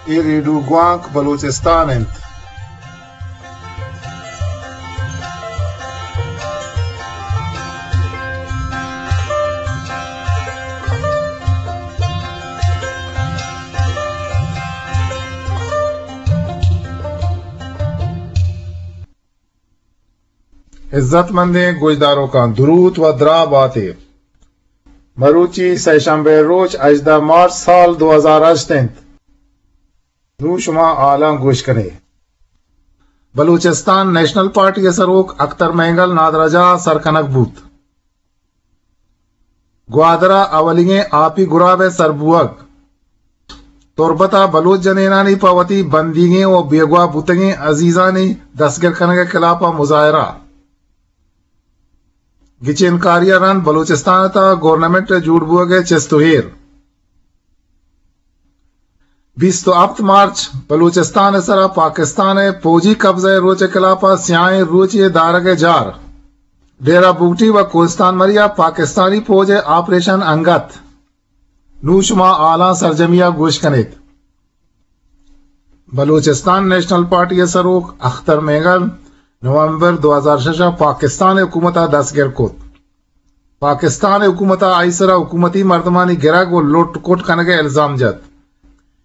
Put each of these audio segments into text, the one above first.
اے ریڈیو گوانک بلوچستان انت۔ عزت مندیں گوشداروکاں، دروت و دراہ باتے۔ مروچی سئے شمبے روچ، ہژدہ مارچ سال دو ہزار ہشت انت۔ نوں شما حالاں گوش کنے۔ بلوچستان نیشنل پارٹی ءِ سروک اختر مینگل نادراہجاہ ءَ سر کنگ بوت۔ گوادر ءَ اولیگیں آپی گراب ءِ سر بوگ۔ تربت ءَ بلوچ جنینانی پہ وتی بندیگیں و بیگواہ بوتگیں عزیزانی دستگر کنگ ءِ خلاف ءَ مظاہرہ۔ گچینکاری ءَ رند بلوچستان ءِ تہ ءَ گورنمنٹ ءِ جوڑ بوگ ءِ چست و ایر۔ بیست و ہپت مارچ، بلوچستان ءِ سرا پاکستان ءِ پوجی قبضہ ءِ روچ ءِ خلاف ءَ سیاہیں روچے ءِ دارگ ءِ جار۔ ڈیرہ بگٹی و کوہستان مری ءَ پاکستانی پوج ءِ آپریشن انگت۔ نوں شما حالاں سرجمی ءَ گوش کن ات۔ بلوچستان نیشنل پارٹی ءِ سروک اختر مینگل نومبر دو ہزار شش ءَ پاکستان ءِ حکومت ءَ دستگر کت۔ پاکستان ءِ حکومت ءَ آئی سرا حکومتی مردمانی گرگ و لٹ کٹ کنگ ءِ الزام جت۔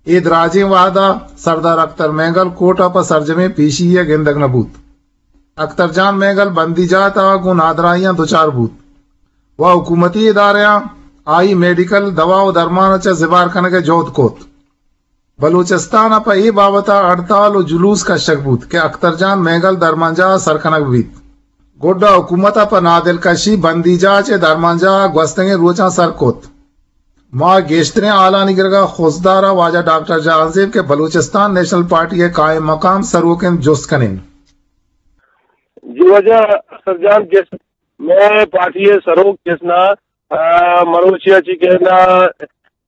اے دراجیں وہد ءَ سردار اختر مینگل کورٹ ءَ پہ سرجمیں پیشی ءَ گندگ نہ بوت۔ اختر جان مینگل بندی جاہ ءِ تہ ءَ گوں نادراہیاں دچار بوت و حکومتی ادارہاں آئی میڈیکل دوا و درمان ءَ چہ زبہر کنگ ءِ جہد کت۔ بلوچستان ءَ پہ اے بابت ءَ ہڑتال و جلوس کشگ بوت کہ اختر جان مینگل درمانجاہ ءَ سر کنگ بیت۔ گڈا حکومت ءَ پہ نادلکشی بندیجاہ چہ درمانجاہ ءَ گوستگیں روچاں سر کت۔ ما گیشتریں ہالانی گرگ ءَ خضدار ءَ واجہ ڈاکٹر جہانزیب کہ بلوچستان نیشنل پارٹی ءِ قائم مقام سروک انت، جست کنیں۔ جی واجہ اختر جان، کس مئے پارٹی ءِ سروک کس نا، آ، مروچی ءَ چی کہنا،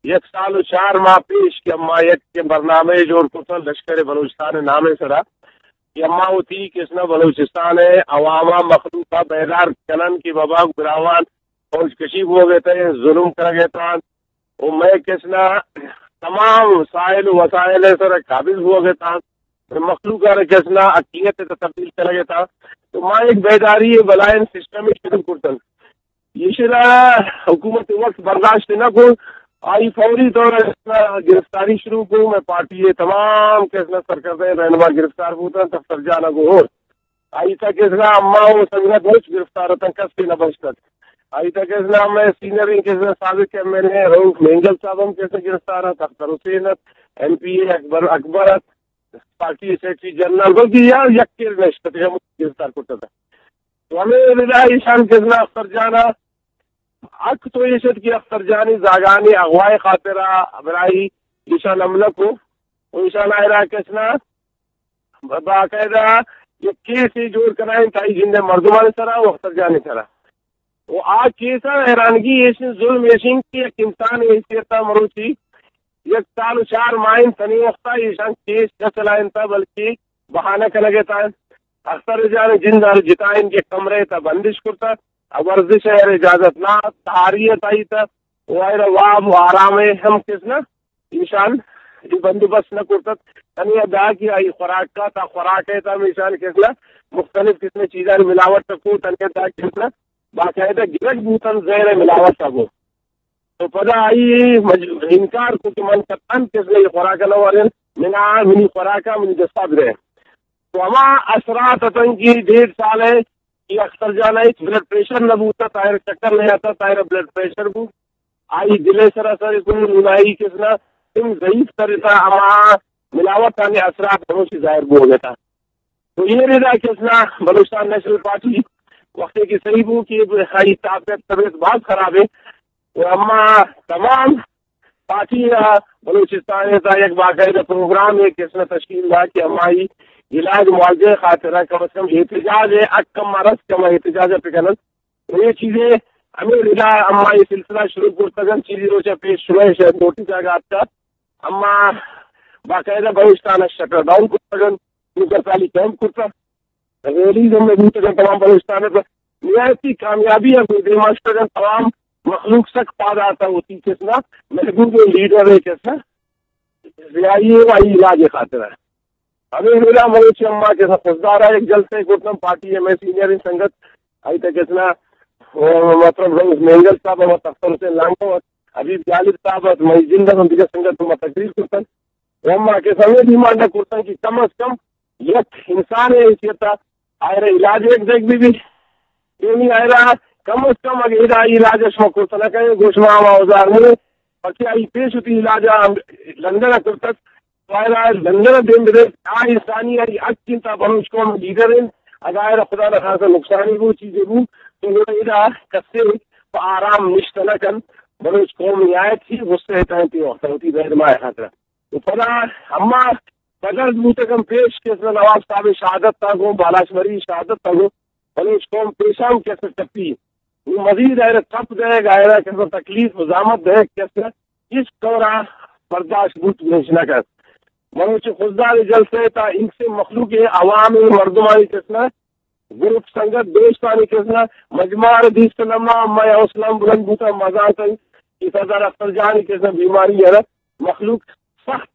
یک سال و چار ماہ پیش کہ ما یک برنامہ جوڑ کتن لشکر بلوچستان ءِ نام ءِ سرا کہ اما وتی کس نا بلوچستان ءِ عوام ءَ، مخلوق ءَ بیدار کنن کہ بابا براہوان فوج کشی بوگ ءَ اتیں، ظلم کنگ ءَ اتاں، و مئے کس نا تمام سائل و وسائل ءِ سر قابض بوگ ءَ اتاں، مخلوق ءَ را کس نا حقیقت ءِ تبدیل کنگ ءَ اتاں۔ تو ما یک بیداری بلائیں سسٹم شروع کرتن۔ ایشرا حکومت وقت برداشت نہ کو، آئی فوری طور ءَ گرفتاری شروع کو۔ مئے پارٹی ءِ تمام کس نا سرکردہ رہنما گرفتار بوتن، اختر جان ءَ گوں ہور۔ آئی تہ کس نا اما و سنگت مچ گرفتار اتن، کس نہ بچتگ۔ آئی تہ کس نا مئے سینئر کس نا سابق ایم این اے رؤف مینگل صاحب ہم کس نا گرفتار ات، اختر حسین ات، ایم پی اے اکبر، اکبر ات، پارٹی سیکرٹری جنرل، بلکہ یا یک کر نشت ات، ہم گرفتار کرتا تھا۔ تو ہمیں ردا ایشان کس نا اختر جانا حق تو ایش ات کہ اختر جانی زاگانی اغوائی خاطرہ برائی ایشان حملہ کو، و ایشان آئرا کس نا باقاعدہ یک کیسے جوڑ کنائیں تائی جند مردمان سرا و اختر جان سرا۔ و آ کیسا حیرانگی ایش، ظلم ایشیں کہ یک انسان حیثیت مروچی یک سال و چار ماہ تنی وقتا ایشان کیس نہ چلائیں تا، بلکہ بہانہ کنگے تا۔ اختر جان جند ہر جتائیں کہ کمرے تا بندش کرتا، ورزش ہے اجازت نہ، تاریت آئی تا، و آئرا واب و آرام ہم کس نہ ایشان اے بندوبست نہ کرتگ۔ تنی دا کہ آئی خوراک کا تا خوراک ہے تا ہم ایشان کس نہ مختلف قسم چیزانی ملاوٹ کو، تنی دا کس نہ باقاعدہ گرگ بوتن زہر ملاوٹ کو۔ تو پدا آئی مج-، انکار کو کہ من قطعاً کس نہ اے خوراک نہ ورن، منا منی خوراک منی دستا برے۔ تو ہما اثرات اتن کہ ڈیڑھ سال ہے کہ اختر جان ء ہچ بلڈ پریشر نہ بوتہ، طاہر چکر نہ آتہ، طاہر بلڈ پریشر بو، آئی دل ء سراسر کو، نون آئی کس نا سم ضعیف تر اتہ، ہما ملاوٹ آنی اثرات ہموشی ظاہر بوگ اتہ۔ تو یہ ردا کس نا بلوچستان نیشنل پارٹی وقتے کہ صحیح بو کہ آئی طبیعت، طبیعت باز خراب ہے، و اما تمام پارٹی ء بلوچستان ء تا یک باقاعدہ پروگرام ء کس نا تشکیل دا کہ امائی علاج معالجہ ء خاطر ء کم از کم احتجاج ء حق اما رس کہ احتجاج ء بکنن۔ و یہ چیزیں ہمیں ردا اما یہ سلسلہ شروع کرتگن، چیزی روچ ء پیش شمئے شہ نوٹس آگا آتکا، اما باقاعدہ بلوچستان ء شٹر ڈاؤن کرتگن، نوکر سالی کیمپ کرتا۔ ریلیز ہم بوتگ انت تمام بلوچستان ء، نہایتی کامیابی ء گوں دیما شتگ انت۔ تمام مخلوق سک پاد آتگ وتی کس نا محبوب لیڈر ء کس نا سیاہی ء و آئی علاج ء خاطر ء۔ ہمے ویلا مروچی اما کسا خضدار ء یک جلسہ ء کرتن، پارٹی ء مئے سینئر سنگت آئی تک کسنا، او، مطلب رئیس مینگل صاحب ء، اختر حسین لانگو ء، حبیب جالب صاحب ء، مئی جند ء، ہم دیگر سنگت ما تقریر کرتن۔ و اما کسا ہمے ڈیمانڈ ء کرتن کہ کم از کم یک انسان ء حیثیت ء آئرا علاج یک دیگ بہ بی۔ یعنی آئرا کم از کم اگہ ادا علاج ء شما کرت نہ کنئے، گوش ما ہما اوزار نہیں، بلکہ آئی پیش وتی علاج ء لندن ء کرتگ، تو آئرا لندن ء دیم بدئے، آ انسانی آئی حق انت، بلوچ قوم لیڈر انت، اگہ آئرا خدا نخواستہ نقصانی بو، چیزے بو، تو گڑا ادا کسے پہ آرام نشتہ نہ کنت، بلوچ قوم نہایت ہی غصہ ء تہ انت اے وقت ء وتی رہنما ء خاطر ء۔ و پدا ہما بدل بوتگن پیش کہ اسنا نواب صاحب شہادت تا گوں، بالاچ مری شہادت تا گوں، بلوچ قوم پیشان کہ اسنا ٹپی۔ نوں مزید آئرا ٹپ دئیگ، آئرا کہ اسنا تکلیف و زحمت دئیگ کہ اسنا ہچ طورا برداشت بوت گوش نہ کنت۔ بلوچ خضدار جلسہ تا انچیں مخلوق عوام مردمانی کہ اسنا گروپ سنگت دوستانی کسنا مجمع ء دیست لمحہ مئے حوصلہ ہم بلند بوتا، مزان تئی کہ سردار اختر جانی کسنا بیماری ء مخلوق سخت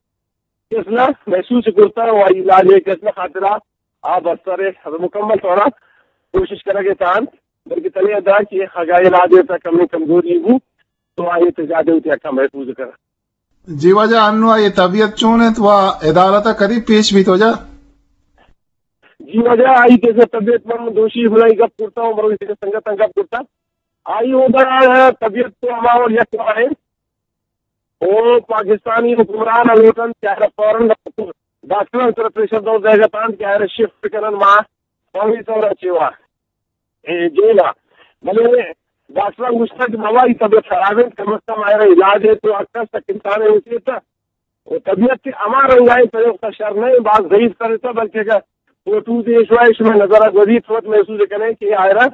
کسنا محسوس کرتا و آئی علاج ء کسنا خاطرہ آ بستر ء مکمل طورا کوشش کنگ ء تان، بلکہ تنے ادا کہ خگا علاج ء تا کمی کمزوری بو تو آئی تجادے ہوتی حقا محفوظ کر۔ جی واجہ، انو آئی طبیعت چون انت و عدالت ء کدی پیش بیت واجہ؟ جی واجہ، آئی کسے طبیعت من دوشی بلائی گپ کرتا ہوں، مروی سے سنگت گپ کرتا۔ آئی اودا طبیعت تو ہما اور یک ہے۔ او پاکستانی حکمران لوٹن کہ آئرا فوراً ڈاکٹر سر پریشر دور دے گا تان کہ آئرا شفٹ کنن ما فوری طور چیوا۔ اے جیل ء۔ بلے ڈاکٹر گوشتگ کہ بابا، ای طبیعت خراب انت، کم از کم آئرا علاج ہے تو اکا سک انسان ہے اسی تا۔ و طبیعت ہما رنگائیں پریوکتا شر نہیں، باز ضعیف کرتا، بلکہ اگر فوٹو دیش وائے شما نظر گوزی تو محسوس کریں کہ آئرا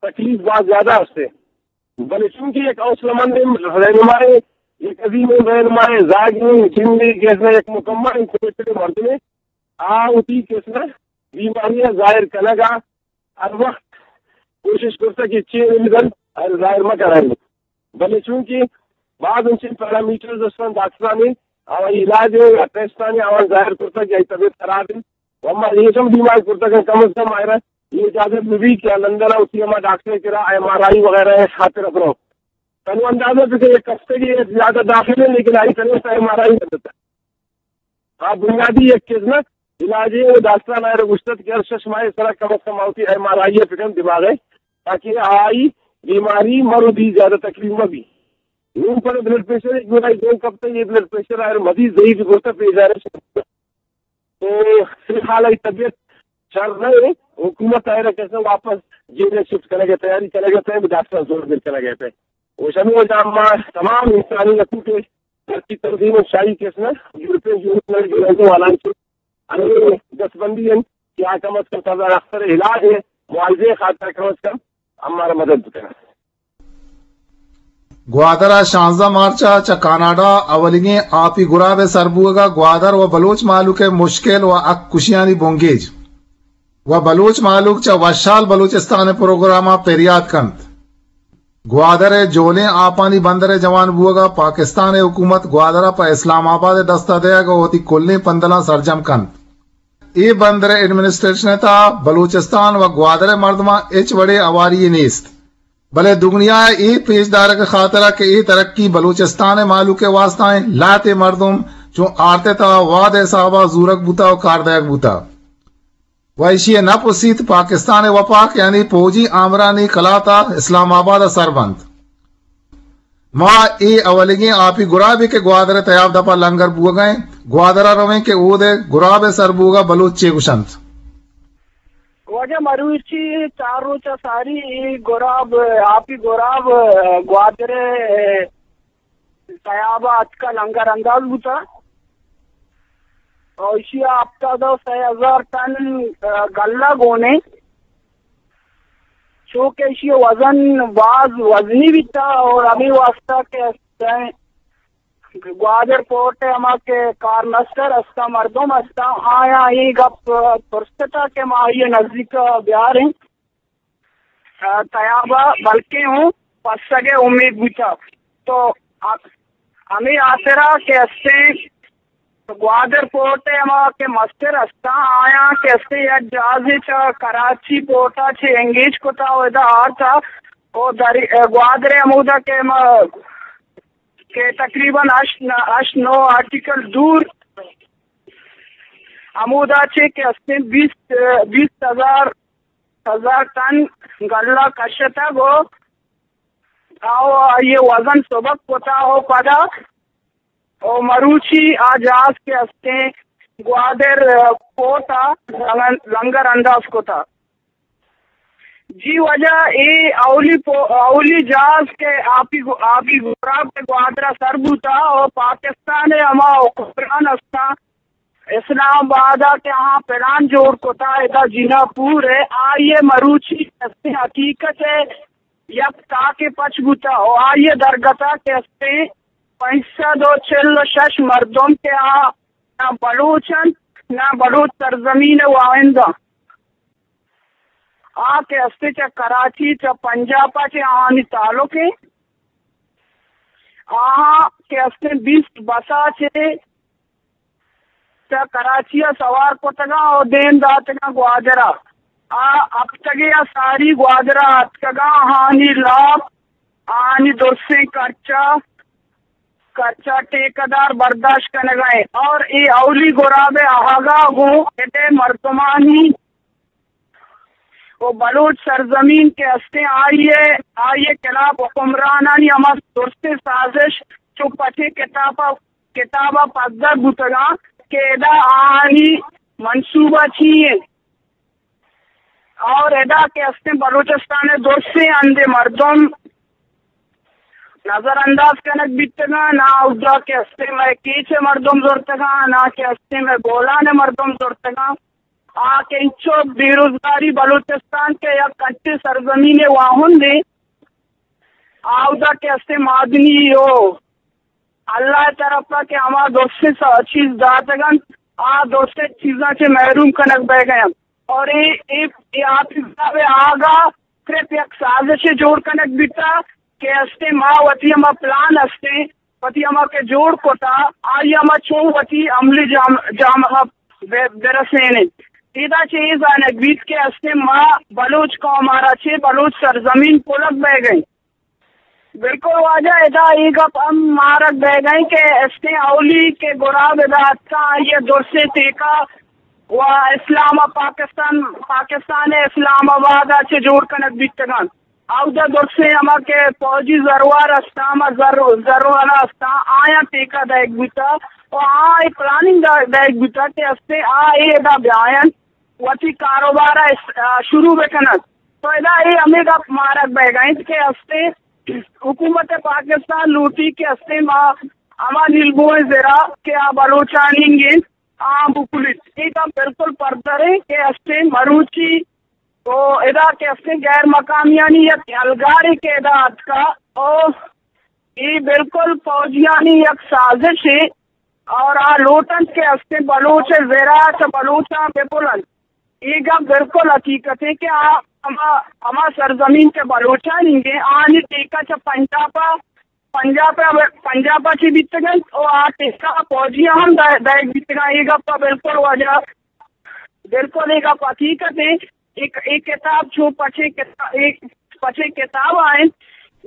تکلیف باز زیادہ ہستے۔ بلے چونکہ یک حوصلہ مند رہنمائے، یک عظیم رہنمائے، زاگی جندے کہ اسنا یک مکمل کوشش مردمے، آ وتی کہ اسنا بیماری ظاہر کنگا ہر وقت کوشش کرتا کہ چین بدن ہر ظاہر مہ کرائیں۔ بلے چونکہ بعض انچیں پیرامیٹرز استن ڈاکٹرانی، آوائی علاج ہے یا ٹیسٹانی آواز ظاہر کرتا کہ آئی طبیعت خراب ہے۔ و اما یہ ہم ڈیمانڈ کرتا کہ کم از کم آئرا یہ اجازت بھی کہ لندن ہوتی ہما ڈاکٹر کرا ایم آر آئی وغیرہ ہے خاطر اپنو۔ تنو اندازہ کہ ایک ہفتے کی زیادہ داخل ہے، لیکن آئی طرف سے ایم آر آئی نہیں دیتا۔ آ بنیادی یک چیز نہ علاج ہے، وہ ڈاکٹر نہ گوشتت کہ ہر شش ماہ سرا کم از کم آوتی ایم آر آئی پکن دماغ ہے، تاکہ آئی بیماری مرو دی زیادہ تکلیف مہ بی۔ نوں پر بلڈ پریشر ایک گوڑائی دو کپتے، یہ بلڈ پریشر آئر مزید ضعیف کرتا پیش آ رہے۔ تو فی الحال آئی طبیعت شر نہ ہے، حکومت آئر کیسے واپس جیل شفٹ کرے گئے، تیاری کرے گئے، ڈاکٹر زور دیر کرے گئے۔ وہ شمی وجہ ما تمام انسانی حقوق ترقی تنظیم و شاہی کس نہ یورپین یونین ء گرنٹو والان چہ ہمے دستبندی انت کہ آ کم از کم سردار اختر ء علاج ء معالجے ء خاطر کم از کم ہمارا مدد بکناں۔ گوادر ء شانزدہ مارچ ء چہ کاناڈا اولیگیں آپی گراب ء سر بوگ ء گوادر و بلوچ مہلوک ء مشکل و حق کشیانی بنگیج و بلوچ مہلوک چہ وشحال بلوچستان ء پروگرام ء پریات کنت۔ گوادر ء جولیں آپانی بندر ء جوان بوگ ء پاکستان ء حکومت گوادر ء پہ اسلام آباد ء دست ء دئیگ ء وتی کلیں پندلاں سرجم کنت۔ اے بندر ء ایڈمنسٹریشن ء تہا بلوچستان و گوادر ء مردماں ہچ وڑیں ہواری یے نیست، بلے دگنیا ء اے پیش دارگ ء خاطر ء کہ اے ترقی بلوچستان ء مہلوک ء واستہ انت، لہتے مردم چوں آرت ء تہا وہد ء حساب ء زورگ بوتہ و کار دئیگ بوتہ۔ و ایشی ء نپ و سیت پاکستان ء وپاک یعنی پوجی آمرانی کلات ء اسلام آباد ء سر بنت۔ ما اے اولیگیں آپی گرابے کہ گوادر ء تیاب دپ ء لنگر بوگ ء انت، گوادر ء رویں کہ اود ء گراب ء سر بوگ ء بلوچ چے گوشنت۔ واجہ مروچی چار روچ ء ساری اے گراب، آپی گراب گوادر ء تیاب ء اتکا لنگر انداز بوتا۔ اور ایشی ء ہفتاد و سئے ہزار ٹن، آ، گلہ گون انت، چو کہ ایشی ء وزن باز وزنی بیتا اور ہمے واسطہ کہ گوادر پورٹ ء ہما کہ کارمستر ہستاں، مردم ہستاں، آیاں اے گپ پرستہ کہ ما آئی ء نزیک ء بیاریں۔ ء تیاب ء بلکیں اوں پسگ ء امیت بوتگ۔ تو ہ-، ہمے ہاترا کہ استیں گوادر پورٹ ءِ ہما کہ مستر استاں، آیاں کہ استیں یک جہازے چہ کراچی پورٹ ءَ چہ انگیج کتا و ادا آرتا و دری-، گوادر ءَ ہمودا کہ ما کہ تقریباً ہشت، ہشت نو ناٹیکل دور ہمودا چہ کہ استیں بیست، بیست ہزار، ہزار ٹن گلہ کشتگ و آ، آئی ءِ وزن سبک کتا و پدا و مروچی آ جہاز کہ استیں گوادر، آ، پورٹ ءَ لنگر، لنگر انداز کتا۔ جی واجہ، اے اولی پو-، اولی جہاز کہ آپی گو-، آپی گراب کہ گوادر ءَ سر بوتا و پاکستان ءِ ہما حکمران استاں اسلام آباد ءَ کہ آہاں پلان جوڑ کتا ادا جناح پور ءِ، آئی ءِ مروچی استیں حقیقت ءِ یک تاکے پچ بوتا و آئی ءِ درگت ءَ کہ استیں پنچ سد و چل و شش مردم کہ آ نہ بلوچ انت، نہ بلوچ سرزمین ءِ واہند انت۔ آ کہ استیں چہ کراچی، چہ پنجاب ءَ چہ آہانی تعلق انت۔ آہاں کہ استیں بیست بس ءَ چہ چہ کراچی ءَ سوار کتگاں و دیم داتگاں گوادر ءَ۔ آ ہپتگے ءَ ساری گوادر ءَ اتکگاں، آہانی لاپ، آہانی درسیں کرچا، کرچا ٹیکہ دار برداشت کنگ ءَ انت اور اے اولی گراب ءِ آہگ ءَ گوں ادے مردمانی و بلوچ سرزمین کہ استیں آئی ءِ، آئی ءِ خلاف حکمرانانی ہما درستیں سازش چو پچیں کتاب ءَ، کتاب ءَ پدر بوتگاں کہ ادا آہانی منصوبہ چی انت اور ادا کہ استیں بلوچستان ءِ درستیں ہندے مردم نظر انداز کنگ بیتگاں، نہ اودا کہ استیں مئے کیچ ءِ مردم زرتگاں، نہ کہ استیں مئے بولان ءِ مردم زرتگاں۔ آ کہ انچو بے روزگاری بلوچستان کہ یک انچیں سرزمین ءِ واہندے، آودا کہ استیں معدنی و اللہ ءِ طرف ءَ کہ ہما درستیں س-، چیز داتگ انت، آ درستیں چیزاں چہ محروم کنگ بئیگ ءَ انت۔ اور اے، اے، اے آپی گراب ءِ آہگ ءَ صرف یک سازشے جوڑ کنگ بیتا کہ استیں ما وتی ہما پلان استیں، وتی ہما کہ جوڑ کتا، آئی ہما چون وتی عملی جام-، جامہ بہ-، برسینیں۔ ادا چہ اے زانگ بیت کہ استیں ما بلوچ قوم ءَ را چہ بلوچ سرزمین پلگ بئیگ ءَ انت۔ بالکل واجہ، ادا اے گپ ہم مارگ بئیگ ءَ انت کہ استیں اولی کہ گراب ادا اتکاں، آئی ءِ درسیں ٹیکہ و اسلام پاکستان، پاکستان ءِ اسلام آباد ءَ چہ جوڑ کنگ بیتگ انت۔ اودا درسیں ہما کہ فوجی زروار استاں، ہما زر-، زروالا استاں، آیاں ٹیکہ دئیگ بوتا و آ اے پلاننگ دئیگ بوتا کہ استیں آ اے ادا بیاینت، وتی کاروبار ءَ اس-، آ، شروع بکنت۔ تو ادا اے ہمے گپ مارگ بئیگ ءَ انت کہ استیں حکومت پاکستان لوٹی کہ استیں ما ہما نیلبوئیں زرا کہ آ بلوچانی انت، آ بکلیت۔ اے گپ بالکل پدر انت کہ استیں مروچی و ادا کہ استیں غیر مقامیانی یک یلگارے کہ ادا اتکا و اے بالکل فوجیانی یک سازشے اور آ لوٹنت کہ استیں بلوچ ءِ زرا چہ بلوچاں بپلنت۔ اے گپ بالکل حقیقتے کہ آ ہما، ہما سرزمین کہ بلوچانی انت، آنی ٹیکہ چہ پنجاب ءَ، پنجاب ءَ، پنجاب ءَ چہ بیتگ انت و آ ٹیکہ فوجیاں ہم دئے-، دئیگ بیتگاں۔ اے گپ ءَ بالکل واجہ، بالکل اے گپ حقیقت انت۔ اے، اے کتاب چو پچیں کتا-، اے پچیں کتاب ءَ انت۔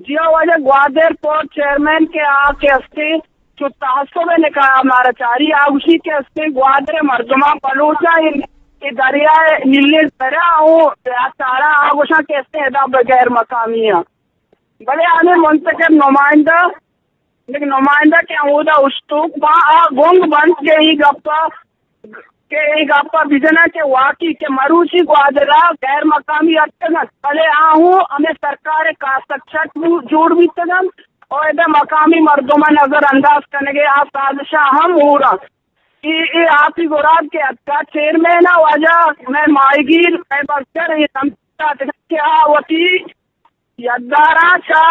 جی ہاں واجہ، گوادر پورٹ چیئرمین کہ آ کہ استیں چو تعصب ءِ نگاہ ءَ مارا چاری، آ گوشی کہ استیں گوادر ءِ مردماں بلوچاں اے، اے دریا ءِ نیلیں زرا و سارا آ گوشاں کہ استیں ادا بہ غیر مقامی آں۔ بلے آنے منتخب نمائندہ، یک نمائندہ کہ ہمودا اشتوک باں، آ گنگ بنت کہ اے گپ ءَ، کہ اے گپ ءَ بجناں کہ واقعی کہ مروچی گوادر ءَ غیر مقامی اتکگ انت، بلے آ ہوں ہمے سرکار ءِ کاسگ چٹ بو-، جوڑ بیتگ انت و ادا مقامی مردماں نظر انداز کنگ ءِ آ سازشاں ہم ہور انت۔ اے، اے آپی گراب کہ اتکا چیئرمین ءَ واجہ مئے ماہیگیر، مئے بزگر، اے سمجھتا کہ آ وتی یداراں چہ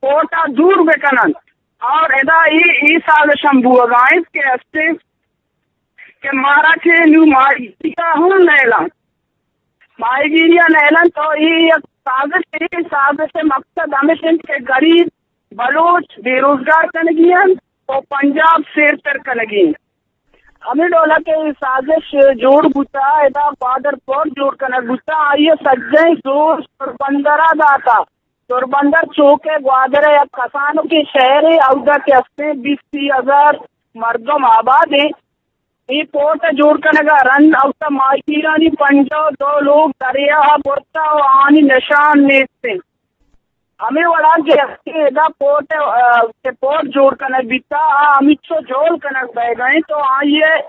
پورٹ ءَ دور بکن انت اور ادا اے، اے سازش ہم بوگا انت کہ استیں کہ مارا چہ نوں ماہیگیری ءَ ہم نیلان، ماہیگیری ءَ نیلان۔ تو اے یک سازش، اے سازش ءِ مقصد ہمیش انت کہ غریب بلوچ بے روزگار کنگی انت و پنجاب سیرتر کنگی انت۔ ہمے ڈول ءَ کہ اے سازش جوڑ بوتا، ادا گوادر پورٹ جوڑ کنگ بوتا، آئی ءِ سجہیں زور سربندر ءَ داتا۔ سربندر چوکہ گوادر ءِ یک کسانکیں شہرے، اودا کہ استیں بیست سی ہزار مردم آباد ایں۔ اے پورٹ ءِ جوڑ کنگ ءَ رند اودا ماہیگیرانی پنجاہ و دو لوگ دریا ءَ برتا و آہانی نشان نیست انت۔ ہمے وڑا کہ استیں ادا پورٹ، آ، کہ پورٹ جوڑ کنگ بیتا، آ ہمینچو جہل کنگ بئیگ ءَ انت و آئی ءِ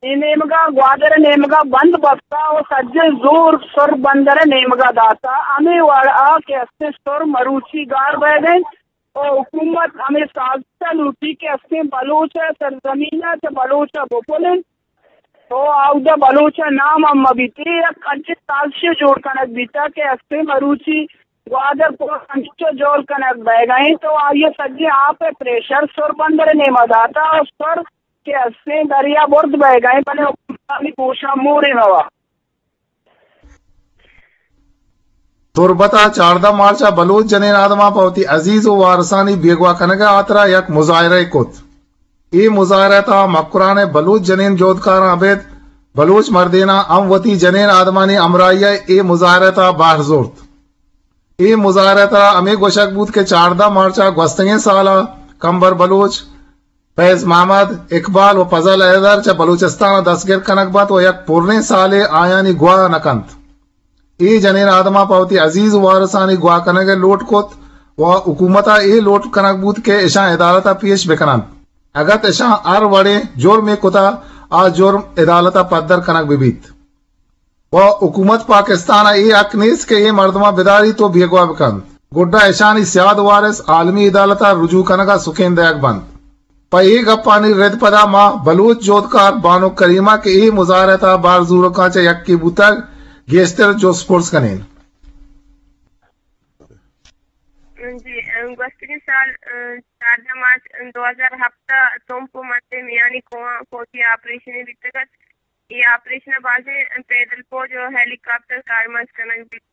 اے نیمگا گوادر ءِ نیمگا بند بستا و سجہیں زور سر بندر ءِ نیمگا داتا۔ ہمے وڑا کہ استیں سر مروچی گار بئیگ ءَ انت و حکومت ہمے سازش ءَ لوٹی کہ استیں بلوچ ءِ سرزمین ءَ چہ بلوچ ءَ بپل انت و اودا بلوچ ءِ نام ہم مہ بیت۔ اے یک انچیں سازشے جوڑ کنگ بیتا کہ استیں مروچی گوادر پورٹ ہمینچو جہل کنگ بئیگ ءَ انت و آئی ءَ سجہیں آپ ءِ پریشر سر بندر ءِ نیما داتا و سر کہ استیں دریا برد بئیگ ءَ انت، بلے حکمرانی گوشاں مورے مہ وا۔ تربت ءَ چاردہ مارچ ءَ بلوچ جنین آدماں پہ وتی عزیز و وارثانی بیگواہ کنگ ءِ ہاترا یک مظاہرہ ئے کت۔ اے مظاہرہ ءِ تہا مکران ءِ بلوچ جنین جہدکاراں ابید بلوچ مردیناں ہم وتی جنین آدمانی ہمراہی ءَ اے مظاہرہ ءِ تہا بہر زرت۔ اے مظاہرہ ءِ تہا ہمے گوشگ بوت کہ چاردہ مارچ ءَ گوستگیں سال ءَ کمبر بلوچ، فیض محمد، اقبال و فضل حیدر چہ بلوچستان ءَ دستگر کنگ بنت و یک پریں سالے آیانی گواہ نہ کنت۔ اے جنین آدماں پہ وتی عزیز و وارثانی گواہ کنگ ءِ لوٹ کت و حکومت ءَ اے لوٹ کنگ بوت کہ اشاں عدالت ءَ پیش بہ کن انت۔ اگت اشاں ہر وڑیں جرمے کتہ، آ جرم عدالت ءَ پدر کنگ بہ بیت۔ و حکومت پاکستان ءَ اے حق نیست کہ اے مردماں بداریت و بیگواہ بکنت۔ گڈا اشانی سیاد وارث عالمی عدالت ءَ رجوع کنگ ءَ سکین دئیگ بنت۔ پہ اے گپانی رد پدا ما بلوچ جہدکار بانک کریمہ کہ اے مظاہرہ ءِ تہا بہر زورکاں چہ یکے بوتگ، گیشتر جست پرس کنیں۔ جی، گوستگیں سال، چاردہ مارچ دو ہزار ہپت ءَ تمپ و مٹ ءِ میانی کوہاں فوجی آپریشنے بیتگ ات۔ اے آپریشن ءَ بازیں پیدل پوج و ہیلی کاپٹر کارمرز کنگ بیت۔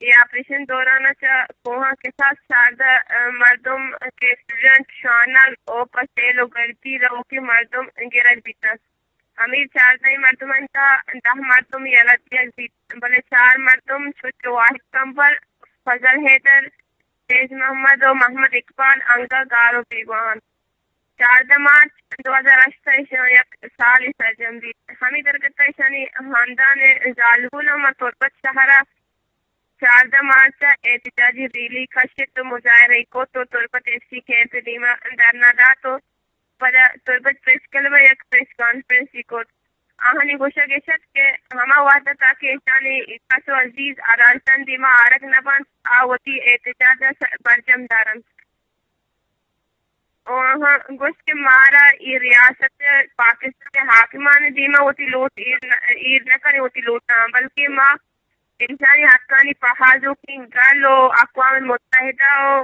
اے آپریشن دوران ءَ چہ کوہاں کساس چاردہ، ءَ، مردم کہ اسٹوڈنٹ، شانگ و پہ سیل و گردی روکیں مردم گرگ بیتنت۔ ہمے چاردہیں مردمانی تہا دہ مردم یلہ دیگ بیت، بلے چار مردم چو کہ واحد کمبر، فضل حیدر، فیض محمد و محمد اقبال انگہ گار و بیگواہ انت۔ چاردہ مارچ دو ہزار ہشت ءَ ایشاں یک سالے سرجم بیت۔ ہمے درگت ءَ ایشانی ہاندان ءِ زالبول ہم تربت شہر ءَ چاردہ مارچ ءَ احتجاجی ریلی کشت و مظاہرہ ئی کت و تربت ایف سی کیمپ ءِ دیما دھرنا دات و پدا تربت پریس کلب ءَ یک پریس کانفرنس ئی کت۔ آہانی گوشگ ایش ات کہ ہما وہد ءَ تاکہ ایشانی کس و عزیز عدالتانی دیما آرگ نہ بنت، آ وتی احتجاج ءَ س-، برجم دارنت۔ و آہاں گوشت کہ مارا اے ریاست پاکستان ءِ حاکمانی دیما وتی لوٹ ایر نہ، ایر نہ کنیں وتی لوٹاں، بلکہ ما انسانی حقانی پہازوکیں گل و اقوام متحدہ و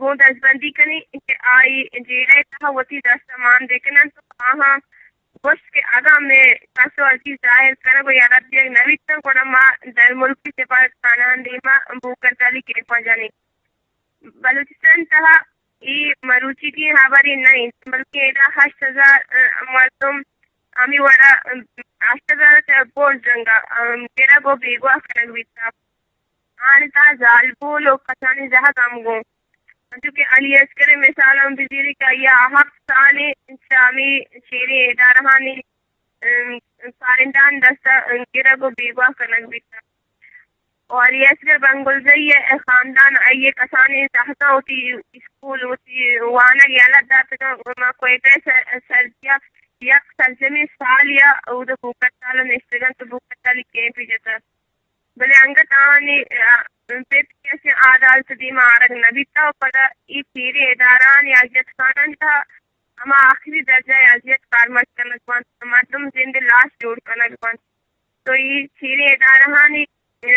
گوں دزبندی کنیں کہ آئی جیڑہ ءِ تہا وتی دست ءَ مان بہ کن انت و آہاں گوشت کہ اگاں مئے کس و عزیز ظاہر کنگ و یلہ دیگ نہ بیت انت، گڑا ما درملکی سپاہیکارانی دیما بوکرتالی کیمپاں جنیں۔ بلوچستان ءِ تہا اے مروچیگیں ہبرے نہ انت، بلکیں ادا ہشت ہزار، ءَ، مردم ہمے وڑا، ءَ، ہشت ہزار ءَ چہ برز جنگ ءَ، ءَ، گرگ و بیگواہ کنگ بیتگ۔ آہانی تہا زالبول و کسانیں زہگ ہم گوں۔ انچو کہ علی اصغر ءِ مثال ہم بزیریں کہ آئی ءَ ہپت سالے چہ ہمے چیریں ادارہانی، ام، کارندہانی دست ءَ گرگ و بیگواہ کنگ بیتگ۔ و علی اصغر بنگلزئی ءِ خاندان آئی ءِ کسانیں زہگاں وتی اسکول، وتی وانگ یلہ داتگ انت و ماں کوئٹہ ءِ سر-، سرجمی ءَ یک سرجمیں سالے ءَ اود ءَ بوکرتال ءَ نشتگ انت و بوکرتالی کیمپے جتگ۔ بلے انگت آہانی، ءَ، پت کسیں عدالت ءِ دیما آرگ نہ بیتگ و پدا اے چیریں ادارہانی اذیت خانہانی تہا ہما آخری درجہ ءِ اذیت کارمرز کنگ بنت، مردم زند ءِ لاش جوڑ کنگ بنت۔ تو اے چیریں ادارہانی، ءَ،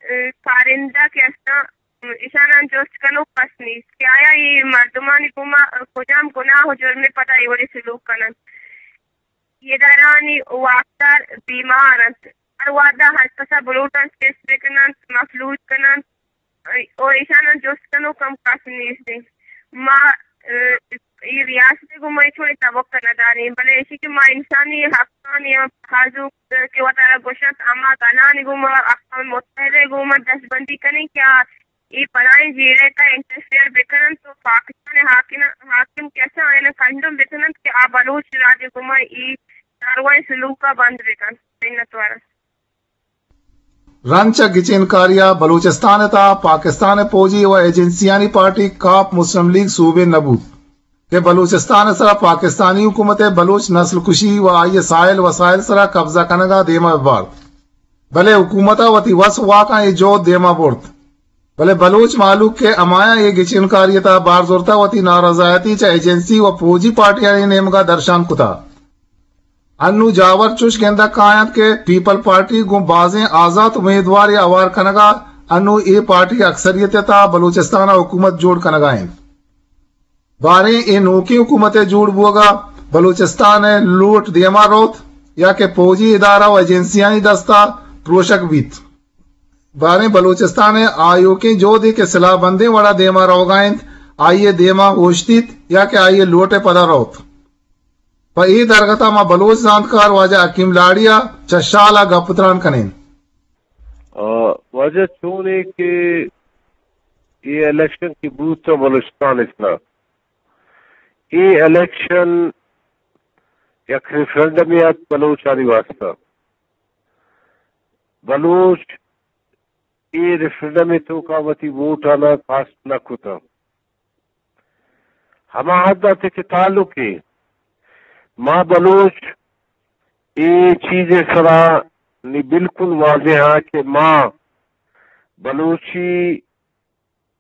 ءَ، کارندہ کہ استاں، اشاناں جست کنوک کس نیست کہ آیا اے مردمانی گوما کجام گناہ و جرمے پدا اے وڑیں سلوک کن انت۔ اے ادارہانی واکدار بیمار انت۔ ہر وہدا ہر کسا بلوٹ انت، چست بہ کن انت، مفلوج کن انت و ایشاناں جست کنوک ہم کس نیست انت۔ ما، ءَ، اے ریاست ء گوں ما ہچ وڑیں تبک ء نہ داریں، بلے ایشی کہ ما انسانی حقانی ہم پہازوک کہ وتارا گوشنت، ہما گلانی گوں ما اقوام متحدہ ء گوں ما دست بندی کنیں کہ آ اے بلائیں جیڑہ ء تہا انٹرفیئر بکننت و پاکستان ء حاکم، حاکم کہ ہستاں آیانا کنڈم بکننت کہ آ بلوچ راج ء گوں ما اے کاروائی سلوک ء بند بکنت۔ منت وار۔ رند چہ گچینکاری ء بلوچستان ء تہا پاکستان ء پوجی و ایجنسیانی پارٹی کاپ مسلم لیگ صوبین نہ بوت کہ بلوچستان ء سرا پاکستانی حکومت ء بلوچ نسل کشی و آئی ء ساحل وسائل سرا قبضہ کنگ ء دیما بہ بارت، بلے حکومت ء وتی وس واکاں اے جہد دیما برت، بلے بلوچ مہلوک کہ ہمایاں اے گچینکاری ء تہا بار زرتہ وتی نارضایتی چہ ایجنسی و پوجی پارٹیانی نیمگا درشان کتہ۔ انوں جاور چش گندگ کاینت کہ پیپلز پارٹی گوں بازیں آزات امیدوارے ہوار کنگا انوں اے پارٹی اکثریت ء تہا بلوچستان ء حکومت جوڑ کنگا انت۔ باریں اے نوکیں حکومت ء جوڑ بوگا بلوچستان ء لوٹ دیما روت یا کہ پوجی ادارہ و ایجنسیانی دستا پروشگ بیت؟ باریں بلوچستان ء آیوکیں جہدے کہ سلاہ بندیں وڑا دیما روگا انت، آئی ء دیما اوشتیت یا کہ آئی ء لوٹ ء پدا روت؟ پہ اے درگت ء ما بلوچ زانتکار واجہ حکیم لاڑی ء چہ شال ء گپ ء تران کنیں۔ آ، واجہ چونے کہ اے الیکشن کہ بوت بلوچستان ء سرا، اے الیکشن یک ریفرنڈمے ات بلوچانی واسطہ۔ بلوچ اے ریفرنڈم ء توکا وتی ووٹ آناں کاسٹ نہ کتاں۔ ہما حد ء کہ تعلق ء ما بلوچ اے چیز ء سرا نی بالکل واضح ہاں کہ ما بلوچی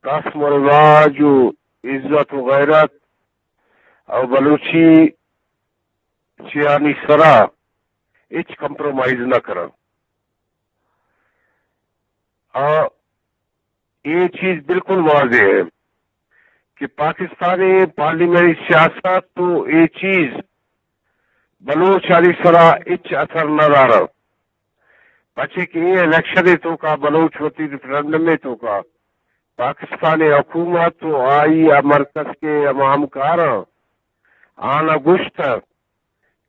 رسم و رواج و عزت و غیرت او بلوچی چیانی سرا ہچ کمپرومائز نہ کناں۔ آ، اے چیز بالکل واضح ہے کہ پاکستانی پارلیمانی سیاست تو اے چیز بلوچانی سرا ہچ اثر نہ دارا۔ پچے کہ اے الیکشن ء توکا بلوچ وتی ریفرنڈم ء توکا پاکستان ء حکومت و آئی ء مرکز کے ہما ہمکاراں آناں گوشت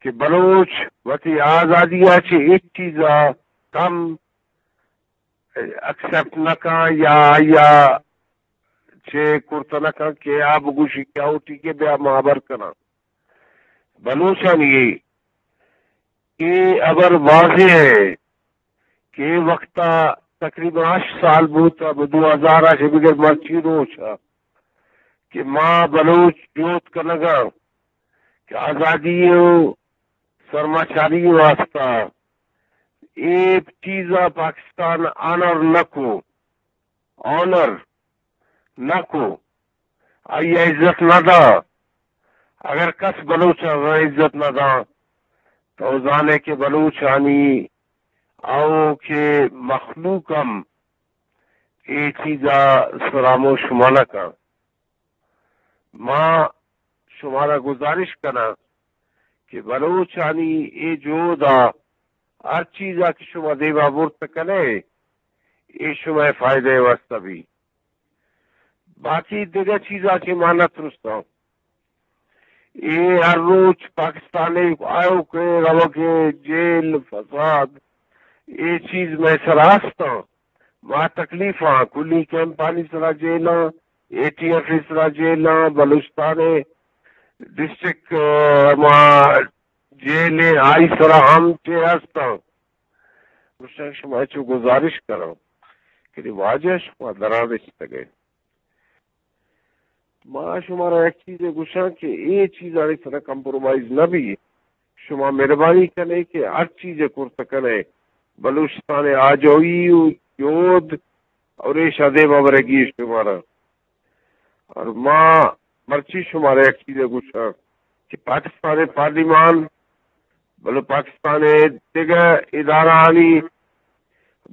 کہ بلوچ وتی آزادی ء چہ ہچ چیز ء کم ایکسپٹ نہ کن یا آئی ء چہ کرت نہ کن کہ آ بگوشی کہ او ٹھیک ہے بیا ما ہبر کناں۔ بلوچانی اے ہبر واضح ہے کہ اے وقت ء تقریباً ہشت سال بوت ء دو ہزار ء چہ بگر مرچی روچ ء کہ ما بلوچ جہد کنگ ء کہ آزادی و سرمچاری واسطہ اے چیز ء پاکستان آنر نہ کو، آنر نہ کو، آئی ء عزت نہ دا۔ اگر کس بلوچ ء عزت نہ دا تو زانے کہ بلوچانی آؤکیں مخلوق ہم اے چیز ء سراموش منہ کن۔ ما شمارا گزارش کناں کہ بلوچانی اے جہد ء ہر چیز ء کہ شما دیما برت کنے، اے شمئے فائدہ ء واستہ بی۔ باقی دگہ چیزاں کہ ما نہ ترساں۔ اے ہر روچ پاکستان ء آیوک ء روگ ء جیل، فساد، اے چیز مئے سرا ہستاں۔ ما تکلیف آں، کلی کیمپانی سرا جیل آں، اے ٹی ایف ء سرا جیل آں، بلوچستان ء ڈسٹرکٹ، آ، ما جیل ء آئی سرا ہم چے ہستاں۔ گوشتگ شما چو گزارش کناں کہ واجہ شما درا نشتگ ئے۔ ما شمارا یک چیزے گوشاں کہ اے چیزانی سرا کمپرومائز نہ بی۔ شما مہربانی کنے کہ ہر چیزے کرت کنے، بلوچستان آجوئی و جہد اور ایشا دیما برگی شمارا۔ اور ما مرچی شمارا یک چیزے گوشاں کہ پاکستان پارلیمان بلے پاکستان ء دگہ ادارہانی،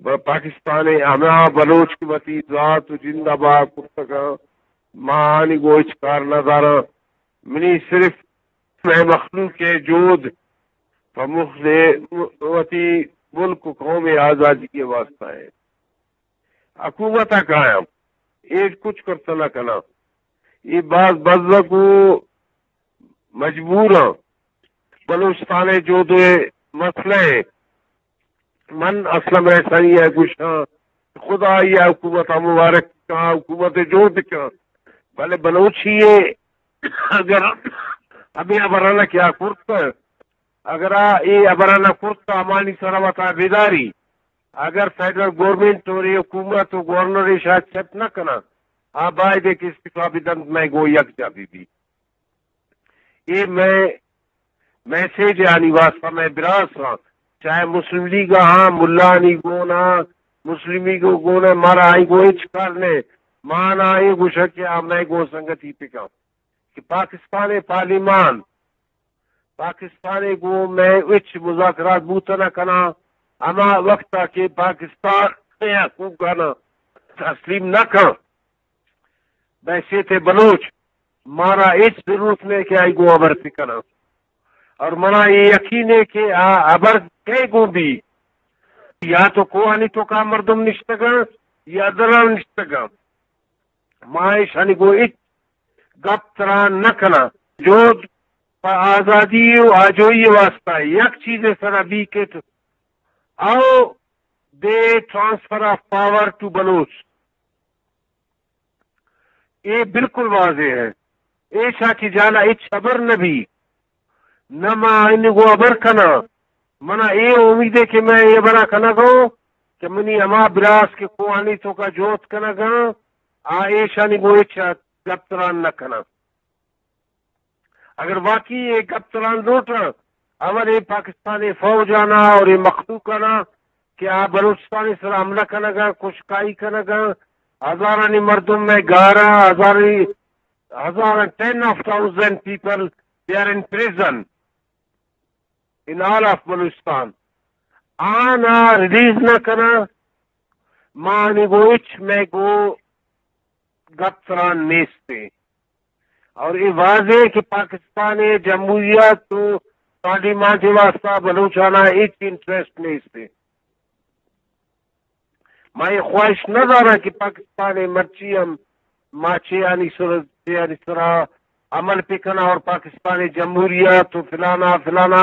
ب-، پاکستان ء ہما بلوچ کہ وتی ذات و جند ء بہا کرتگاں، ما آنی گوں ہچ کار نہ داراں۔ منی صرف مئے مخلوق ء جہد پہ مخ-، وتی ملک و قوم ء آزادی ء واستہ ء۔ حکومت ء کایاں اے کچھ کرت نہ کناں۔ اے باز بزگ و مجبور آں۔ بلوچستان ءِ جہد ءِ مسئلہ ءَ من اسلم رئیسانی ءَ گوشاں، خدا آئی ءَ حکومت ءَ مبارک کاں، حکومت ءِ جہد کاں، بلے بلوچی ءَ اگر ہمے ہبراناں کہ آ کرت، اگر آ اے ہبراناں کرت، ہمانی سرا وتا بداری، اگر فیڈرل گورنمنٹ اور اے حکومت و گورنر ایشاں ایکسپٹ نہ کناں، آ باید کہ استعفا بدنت، مئے گوں یکجاہ بہ بی۔ اے مئے میسج آنی واسطہ مئے براس آں، چاہے مسلم لیگ آں، ملانی گون آں، مسلم لیگ گون آں، مارا آئی گوں ہچ کار نہ۔ ما آناں اے گوشاں کہ آ مئے گوں سنگتی بکن کہ پاکستان ءِ پارلیمان، پاکستان ءِ گوں مئے ہچ مذاکرات بوت نہ کناں، ہما وقت ءَ کہ پاکستان ءِ حقوقاناں تسلیم نہ کن، بحیثیت بلوچ مارا ہچ ضرورت نہ کہ آئی گوں ہبر بکناں۔ اور منا اے یقین ہے کہ آ ہبر کئے گوں بی، یا تو کوہانی توکا مردم نشتگاں یا دلال نشتگاں، ما ایشانی گوں ہچ گپ تران نہ کناں۔ جہد پہ آزادی و آجوئی واسطہ یک چیزے سرا بی کہ او دے ٹرانسفر آف پاور ٹو بلوچ۔ اے بالکل واضح ہے۔ ایشاں چہ جہلا ہچ ہبر نہ بی، نہ ما آئین گوں ہبر کناں۔ منا اے امید ہے کہ مئے اے ہبرا کنگا اوں کہ منی ہما براس کہ کوہانی توکا جہد کنگا آں، آ ایشانی گوں ہچ گپ تران نہ کناں۔ اگر واقعی اے گپ تران لوٹاں، اول اے پاکستان ءِ فوج آناں اور اے مخلوق آناں کہ آ بلوچستان ءِ سرا حملہ کنگاں، کشکائی کنگاں، ہزارانی مردم مئے گاراں، ہزارانی، ہزاراں، ten of thousand people, they are in prison in all of بلوچستان۔ آناں ریلیز نہ کناں، ما آنی گوں ہچ مئے گوں گپ تران نیست۔ اور اے واضح ہے کہ پاکستان ءِ جمہوریت و پارلیمانٹ ءِ واسطہ بلوچاناں ہچ انٹرسٹ نیست۔ ما اے خواہش نہ داراں کہ پاکستان ءِ مرچی ہم ما چے آنی سر، چے آنی سرا عمل بکناں اور پاکستان ءِ جمہوریت و فلانا فلانا،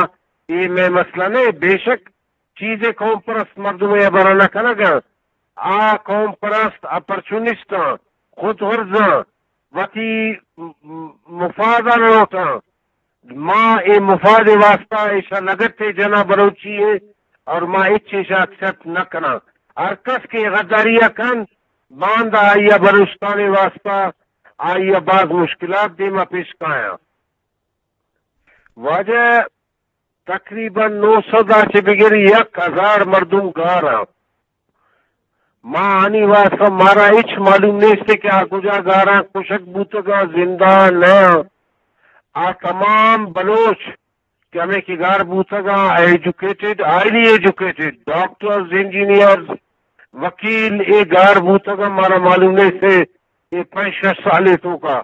اے مئے مسئلہ نہ۔ بے شک چیزے قوم پرست مردم ءِ ہبرا نہ کنگا۔ آ قوم پرست، اپرچونسٹ آں، خود غرض آں، وتی م-، م-، مفاد ءَ لوٹاں۔ ما اے مفاد ءِ واسطہ ایشاں لگتے جناں بلوچی ءَ، اور ما ہچ ایشاں ایکسپٹ نہ کناں۔ ہر کس کہ غداری ءَ کن، باندا آئی ءَ بلوچستان ءِ واسطہ آئی ءَ باز مشکلات دیما پیش کایاں۔ واجہ، تقریباً نو سد ءَ چہ بگر یک ہزار مردم گار آں۔ ما آنی واسطہ مارا ہچ معلوم نیست کہ آ کجا گار آں، کشگ بوتگاں، زندہ نہ آں۔ آ تمام بلوچ کہ ہمے کہ گار بوتگاں، ایجوکیٹڈ، ہائیلی ایجوکیٹڈ، ڈاکٹرز، انجینئرز، وکیل، اے گار بوتگاں، مارا معلوم نیست اے پنچ شش سالے توکا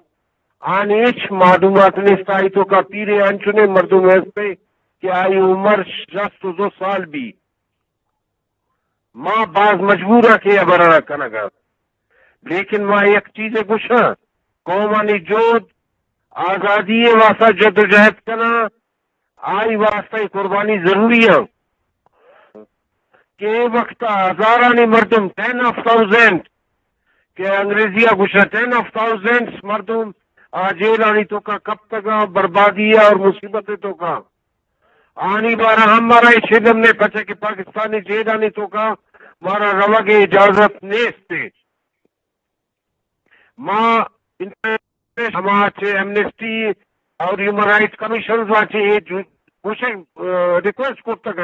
آنی ہچ معلومات نیست۔ آئی توکا پیریں انچنیں مردم ہستے کہ آئی عمر شست و دو سال بی۔ ما باز مجبور آں کہ اے ہبرانا کنگا، لیکن ما یک چیزے گوشاں، قومانی جہد آزادی ءِ واسطہ جدوجہد کناں، آئی واسطہ اے قربانی ضروری آں۔ کہ اے وقت ءَ ہزارانی مردم، ٹین آف تھاؤزینڈ، کہ انگریزی ءَ گوشاں ٹین آف تھاؤزینڈز مردم آ جیلانی توکا کپتگاں، بربادی ءَ اور مصیبت ءِ توکا۔ آنی بارہ ہم مارا اے چیز ہم نے پچے کہ پاکستانی جیلانی توکا مارا روگ ءِ اجازت نیست۔ ما انٹرنیشنل ہما چہ ایمنسٹی اور ہیومن رائٹس کمیشنز ءَ چہ اے جو-، گوشگ، آ، ریکویسٹ کرتگ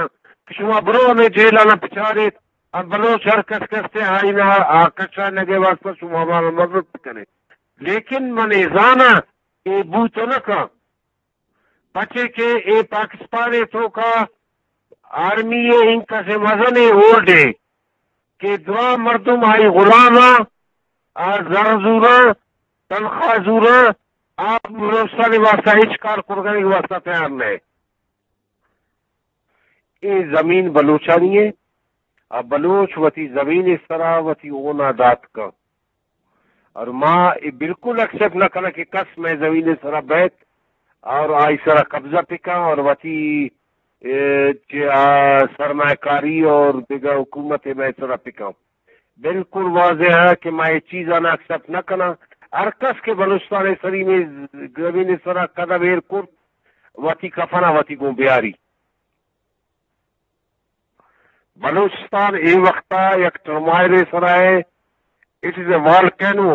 کہ شما برو ہمے جیل آناں بچاریت، آ بلوچ ہر کس کسے آئینا آ کشانگ ءِ واسطہ شما ہمارا مدد بکنے۔ لیکن من اے زاناں کہ اے بوت نہ کن۔ پچے کہ اے پاکستان ءِ توکا آرمی ءِ انکس مزنیں ہولڈ ءِ کہ دراہ مردم آئی غلام آں، آ زر زوراں، تنخواہ زوراں، آ بلوچستان ءِ واسطہ ہچ کار کرگانی واسطہ تیار نہ۔ اے زمین بلوچانی ءِ، آ بلوچ وتی زمین ءِ سرا وتی ہون ءَ دات کن۔ اور ما اے بالکل ایکسپٹ نہ کناں کہ کس مئے زمین ءِ سرا بیت، اور آئی سرا قبضہ پکاں اور وتی، اے، چہ آ سرمایہ کاری اور دگہ حکومت مئے سرا پکاں۔ بالکل واضح ہے کہ ما اے چیزاں ایکسپٹ نہ کناں۔ ہر کس کہ بلوچستان سرین زمین سرا قدم ایر کرت، وتی کفنا وتی گوں بیاری۔ بلوچستان اے وقتا یک ٹرمائل سرا ہے، اٹ از اے والکینو۔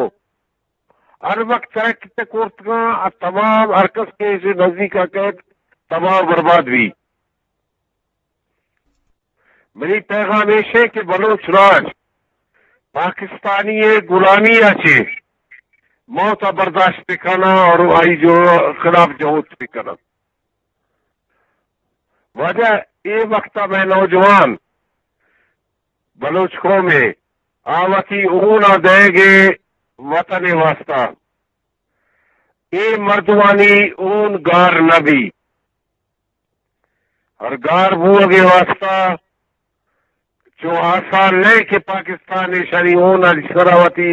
ہر وقت سرک تے کورتگاں، آ تمام ہر کس کہ ایشی نزدیک آ کئیت، تباہ و برباد بی۔ منی پیغام ایش ہے کہ بلوچ راج پاکستانی غلامی ء چہ موت ء برداشت بکناں اور آئی جو خلاف جہد بکناں۔ واجہ، اے وقت ء مئے نوجوان بلوچ قوم ء آ وتی ہون ء دئیگ ء وطن ء واسطہ اے مردمانی ہون گار نہ بی۔ ہر گار بوگ ء واسطہ چو آسان نہ کہ پاکستان ایشانی ہون ء سرا وتی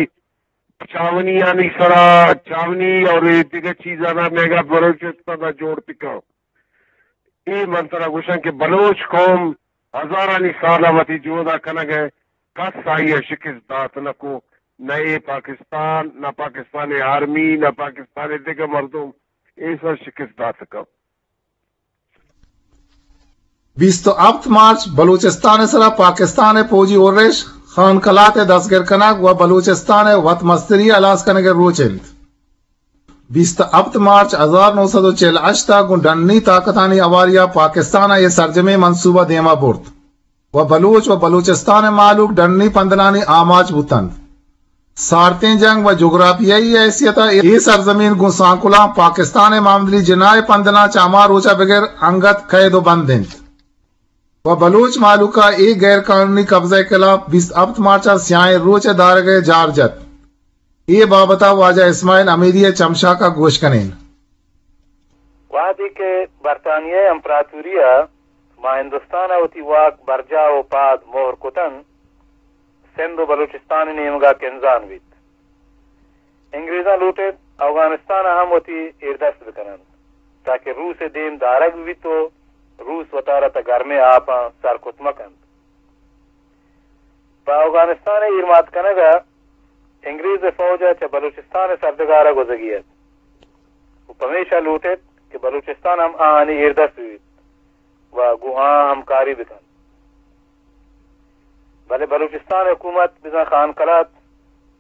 چاونی آنی سرا چاونی اور اے دگہ چیزانا میگا بلوچستان ء جوڑ بکن۔ اے من ترا گوشاں کہ بلوچ قوم ہزارانی سال ء وتی جہد ء کنگ ء، کس آئی ء شکست دات نہ کو، نہ اے پاکستان، نہ پاکستان ء آرمی، نہ پاکستان ء دگہ مردم اے سر شکست دات کن۔ بیست و ہپت مارچ بلوچستان ء سرا پاکستان ء پوجی ارش، خان قلات ء دستگر کنگ و بلوچستان ء وت مستری ہلاس کنگ ء روچ انت۔ بیست و ہپت مارچ ہزار نو سد و چل ہشت ء گوں ڈنی طاقتانی ہواری ء پاکستان ء اے سرجمیں منصوبہ دیما برت و بلوچ و بلوچستان ء مہلوک ڈنی پندلانی آماچ بوتنت۔ سارتیں جنگ و جغرافیائی حیثیت ء اے سرزمین گوں سانکلاں پاکستان ء معاملی جناح ء پندلاں چہ ہما روچ ء بگر انگت قید و بند انت۔ و بلوچ مہلوک ء اے غیر قانونی قبضہ ء خلاف بیست ہپت مارچ ء سیاہیں روچ ء دارگ ء جار جت۔ اے بابت ء واجہ اسماعیل امیری ء چمشاک ء گوش کنین۔ وہدے کہ برطانیہ ء امپراتوری ء ماں ہندوستان ء وتی واک برجاہ و پاد مہر کتنت، سندھ و بلوچستان ء نیمگ ء کنزان بیت۔ انگریزاں لوٹ ایت اوگانستان ء ہم وتی ایردست بہ کن انت، تاکہ روس ء دیم دارگ بہ بیت و روس وتارا تہ گرمیں آپاں سرکت مہ کنت۔ پہ اوگانستان ء ایرمات کنگ ء انگریز ء فوج ء چہ بلوچستان ء سرڈگار ء گوزگی ات و پمیشا لوٹ ایت کہ بلوچستان ہم آہانی ایردست بہ بیت و گوں آہاں ہمکاری بہ کنت۔ بلے بلوچستان ء حکومت بزاں خان قلات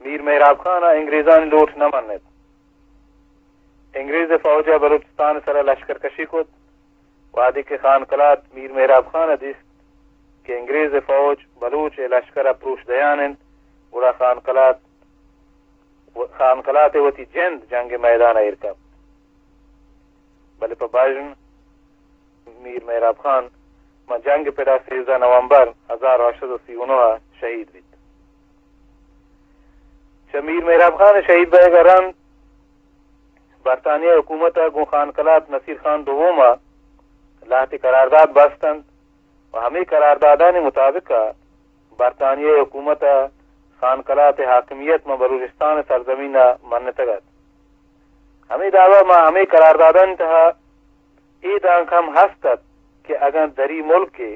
میر مہراب خان ء انگریزانی لوٹ نہ من ات۔ انگریز ء فوج ء بلوچستان ء سرا لشکر کشی کت۔ وہدے کہ خان قلات میر مہراب خان ء دیست کہ انگریز ء فوج بلوچ ء لشکر ء پروش دیان انت، گڑا خان قلات خان قلات ء وتی جند جنگ ء میدان ء ایر کپت۔ بلے پہ بژن میر مہراب خان ماں جنگ ء پڑا سیزدہ نومبر ہزار ہشت سد و سی و نو ء شہید بیت۔ چہ میر مہراب خان ء شہید بئیگ ء رند برطانیہ حکومت ء گوں خان قلات نصیر خان دوم ء لہتے قرارداد بست انت و ہمے قراردادانی مطابق ء برطانیہ حکومت ء خان قلات ء حاکمیت ماں بلوچستان ء سرزمین ء منتگ ات۔ ہمے دابا ماں ہمے قراردادانی تہا اے دانک ہم ہست ات کہ اگاں دری ملکے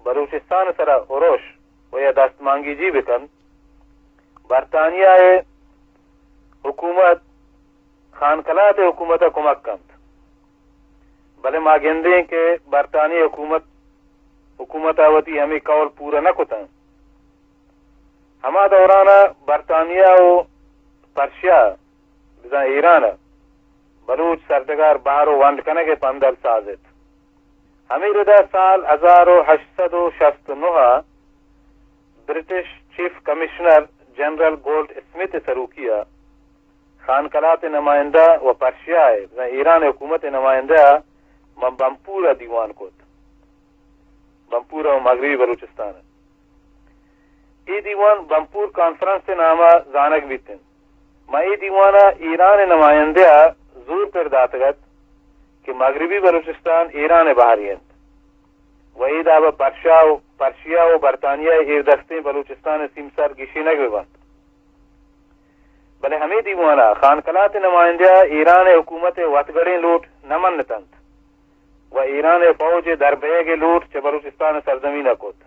بلوچستان ء سرا ارش و یا دستمانگیجی بہ کنت، برطانیہ ء حکومت خان قلات ء حکومت ء کمک کنت۔ بلے ما گندیں کہ برطانیہ حکومت، حکومت ء وتی ہمے قول پورا نہ کتنت۔ ہما دوران ء برطانیہ و پرشیا، بزاں ایران ء بلوچ سرڈگار بہر و ونڈ کنگ ء پندل ساز ات۔ ہمے رد ء سال ہزار و ہشت سد و شست و نو ء برٹش چیف کمشنر جنرل گولڈ اسمتھ ء سروکی ء خان قلات ء نمائندہ و پرشیا ء بزاں ایران ء حکومت ء نمائندہ ء ماں بمپور ء دیوان کت۔ بمپور ء مغربی بلوچستان ء۔ اے دیوان بمپور کانفرنس ء نام ء زانگ بیت انت۔ ماں اے دیوان ء ایران ء نمائندہ ء زور پر داتگ ات کہ مغربی بلوچستان ایران ء بہرے انت و اے داب ء پرشا و، پرشیا و برطانیہ ء ایردستیں بلوچستان ء سیمسر گیشینگ بہ بنت۔ بلے ہمے دیوان ء خان قلات ء نمائندہ ء ایران ء حکومت ء وتگڑیں لوٹ نہ منتنت و ایران ء فوج ء دربیگ ء لوٹ چہ بلوچستان ء سرزمین ء کت۔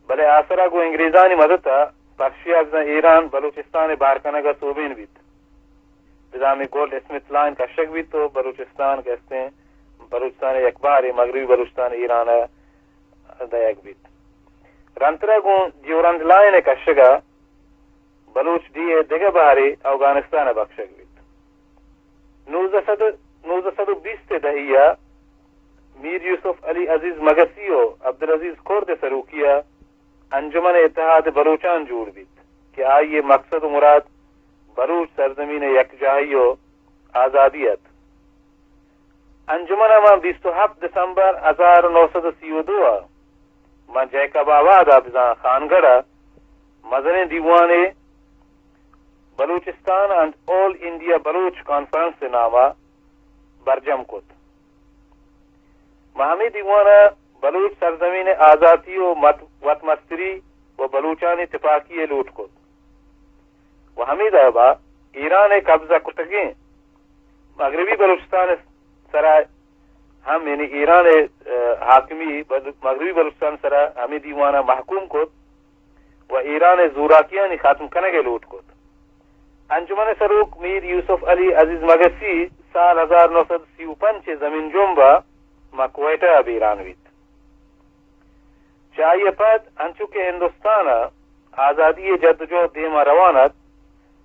بلے آسرا گوں انگریزانی مدت ء پرشیا بزاں ایران بلوچستان ء بار کنگ ء سوبین بیت۔ بزاں ہمے گولڈ اسمتھ لائن کشگ بیت و بلوچستان کہ استیں بلوچستان ء یک بارے مغربی بلوچستان ایران ء دئیگ بیت۔ رندترا گوں ڈیورنڈ لائن ء کشگ ء بلوچ ڈیھ ء دگہ بہرے اوگانستان ء بکشگ بیت۔ نوزدہ سد، نوزدہ سد و بیست ء دہی ء میر یوسف علی عزیز مگسی و عبدالعزیز کرد ء سروکی ء انجمن اتحاد بلوچان جوڑ بیت کہ آئی ء مقصد و مراد بلوچ سرزمین ء یکجاہی و آزادی ات۔ انجمن ء ماں بیست و ہپت دسمبر ہزار و نو سد و سی و دو ء ماں جیکب آباد ء بزاں خانگڑھ ء مزنیں دیوانے بلوچستان اینڈ آل انڈیا بلوچ کانفرنس ء نام ء برجم کت۔ ماں ہمے دیوان ء بلوچ سرزمین ء آزاتی و مت-، وتمستری و بلوچانی تپاکی ء لوٹ کت۔ و ہمے دابا ایران ء قبضہ کتگیں مغربی بلوچستان ء سرا ہم، یعنی ایران ء، ء، حاکمی بل-، مغربی بلوچستان ء سرا ہمے دیوان ء محکوم کت و ایران ء زوراکیانی ختم کنگ ء لوٹ کت۔ انجمن ء سروک میر یوسف علی عزیز مگسی سال ہزار نو سد سی و پنچ ء زمین جمب ء ماں کوئٹہ ء بیران بیت۔ چہ آئی ء پد انچو کہ ہندوستان ء آزادی ء جدوجہد دیم ء روان ات،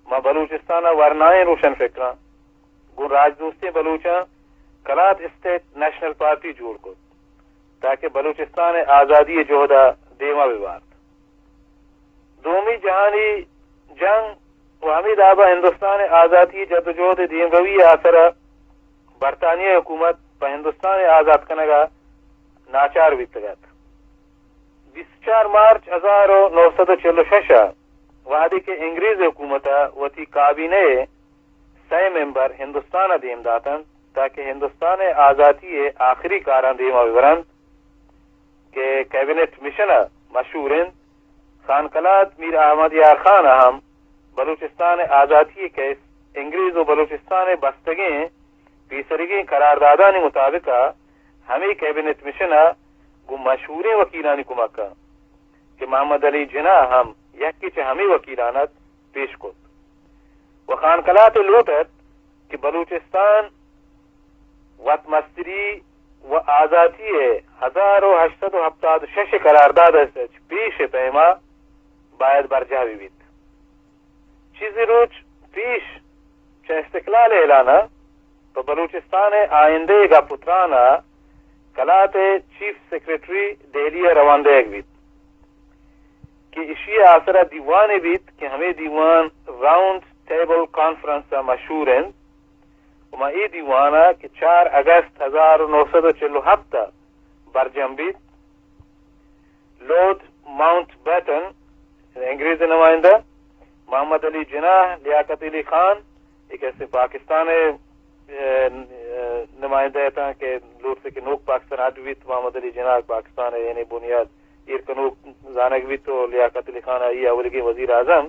ماں بلوچستان ء ورنائیں روشن فکراں گوں راجدوستیں بلوچاں کلات اسٹیٹ نیشنل پارٹی جوڑ کت تاکہ بلوچستان ء آزادی ء جہد ء دیم ء بہ بارت۔ دومی جہانی جنگ و ہمے دابا ہندوستان ء آزاتی ء جدوجہد ء دیمروی ء آسر ء برطانیہ ء حکومت پہ ہندوستان ء آزات کنگ ء ناچار بیتگ ات۔ بیست چار مارچ ہزار و نو سد و چل و شش ء وہدے کہ انگریز حکومت ء وتی کابینہ ء سئے ممبر ہندوستان ء دیم داتنت تاکہ ہندوستان ء آزاتی ء آخری کاراں دیم ء ببرنت کہ کیبنٹ مشن ء مشہور انت، خان کلات میر احمد یار خان ء ہم بلوچستان ء آزاتی ء کیس انگریز و بلوچستان ء بستگیں پیسریگیں قراردادانی مطابق ء ہمے کیبنٹ مشن ء گوں مشہوریں وکیلانی کمک ء کہ محمد علی جناح ہم یکے چہ ہمے وکیلان ات، پیش کت و خان کلات ء لوٹ ات کہ بلوچستان وت مستری و آزاتی ء ہزار و ہشت سد و ہپتاد و شش ء قرارداد ء چہ پیش ء پیما باید برجاہ بہ بیت۔ چیزے روچ پیش چہ استقلال ء اعلان ء پہ بلوچستان ء آئندہ ء گپ و تران ء کلات ء چیف سیکرٹری دہلی ء روان دئیگ بیت کہ ایشی ء آسر ء دیوانے بیت کہ ہمے دیوان راؤنڈ ٹیبل کانفرنس ء مشہور انت و ماں اے دیوان ء کہ چار اگست ہزار و نو سد و چل و ہپت ء برجم بیت، لارڈ ماؤنٹ بیٹن، انگریز نمائندہ، محمد علی جناح، لیاقت علی خان، اے کہ استیں پاکستان ء، ء، ء، نمائندہ اتاں کہ لوٹتے کہ نوک پاکستان اڈ بیت، محمد علی جناح پاکستان ء یعنی بنیاد ایر کنوک زانگ بیت و لیاقت علی خان آئی اولیگیں وزیر اعظم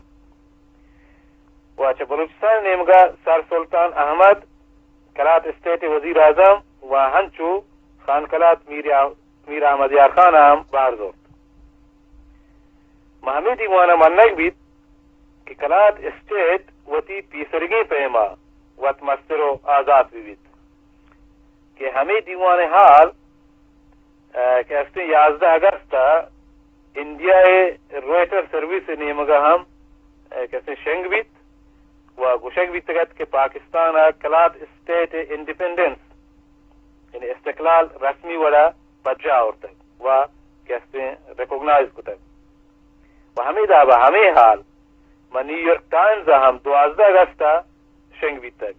و چہ بلوچستان نیمگا سر سلطان احمد کلات اسٹیٹ وزیر اعظم و ہنچو خان کلات میر، میر احمد یار خان ہم بہر زرت۔ ماں ہمے دیوان ء منگ بیت کہ کلات اسٹیٹ وتی پیسریگیں پیما وت مستر و آزات بہ بیت کہ ہمے دیوان ء حال، ء، کہ استیں یازدہ اگست ء انڈیا ء رویٹر سروس ء نیمگ ء ہم، ء، کہ استیں شنگ بیت و گوشگ بیتگ ات کہ پاکستان ء کلات اسٹیٹ ء انڈیپینڈنس یعنی استقلال رسمی وڑا پجا آورتگ و کہ استیں ریکوگنائز کتگ۔ و ہمے دابا ہمے حال ماں نیویارک ٹائمز ء ہم دوازدہ اگست ء شنگ بیتگ۔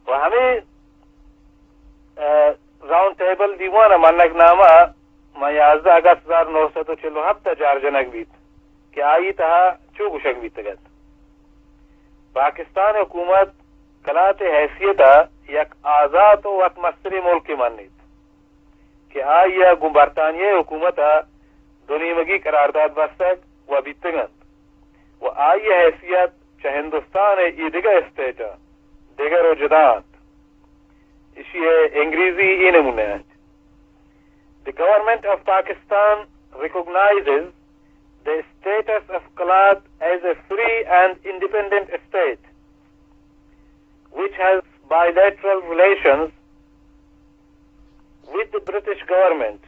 و ہمے، ء، راؤنڈ ٹیبل دیوان ء منگ نامہ ماں یازدہ اگست ہزار نو سد و چل و ہپت ء جار جنگ بیت کہ آئی تہا چو گوشگ بیتگ ات۔ پاکستان حکومت کلات ء حیثیت ء یک آزات و وت مستریں ملکے منیت کہ آئی ء گوں برطانیہ ء حکومت ء دو نیمگی قرارداد بستگ و بیتگ انت و آئی ء حیثیت چہ ہندوستان ء اے دگہ اسٹیٹاں دگر و جدا انت۔ ایشی ءِ انگریزی اے نمونہ انت: The government of Pakistan recognizes the status of Kalat as a free and independent state, which has bilateral relations with the British government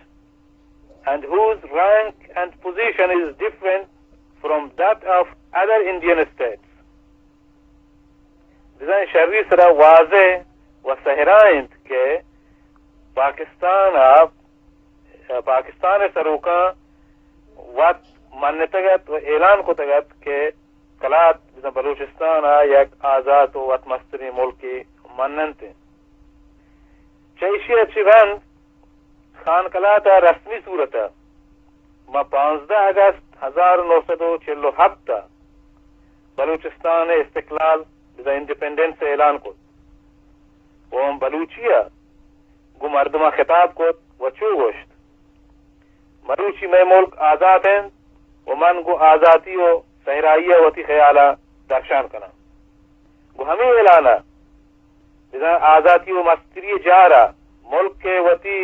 and whose rank and position is different from that of other Indian states. بزاں شری سرا واضح و صحرا انت کہ پاکستان ءَ، پاکستان ءِ سروکاں وت منتگ ات و اعلان کتگ ات کہ کلات بزاں بلوچستان ءَ یک آزات و وت مستریں ملکے مننت انت۔ چہ ایشی ءَ چہ رند خان کلات ءَ رسمی صورت ءَ ماں پانزدہ اگست ہزار نو سد و چل و ہپت ءَ بلوچستان ءِ استقلال، بزاں انڈیپینڈنس ءِ اعلان کت و ہم بلوچی ءَ گوں مردماں خطاب کت و چو گوشت: مروچی مئے ملک آزات انت و من گوں آزاتی و صحرائی ءَ وتی خیالاں درشان کناں۔ گوں ہمے اعلان ءَ بزاں آزاتی و مستری ءِ جار ءَ ملک ءِ وتی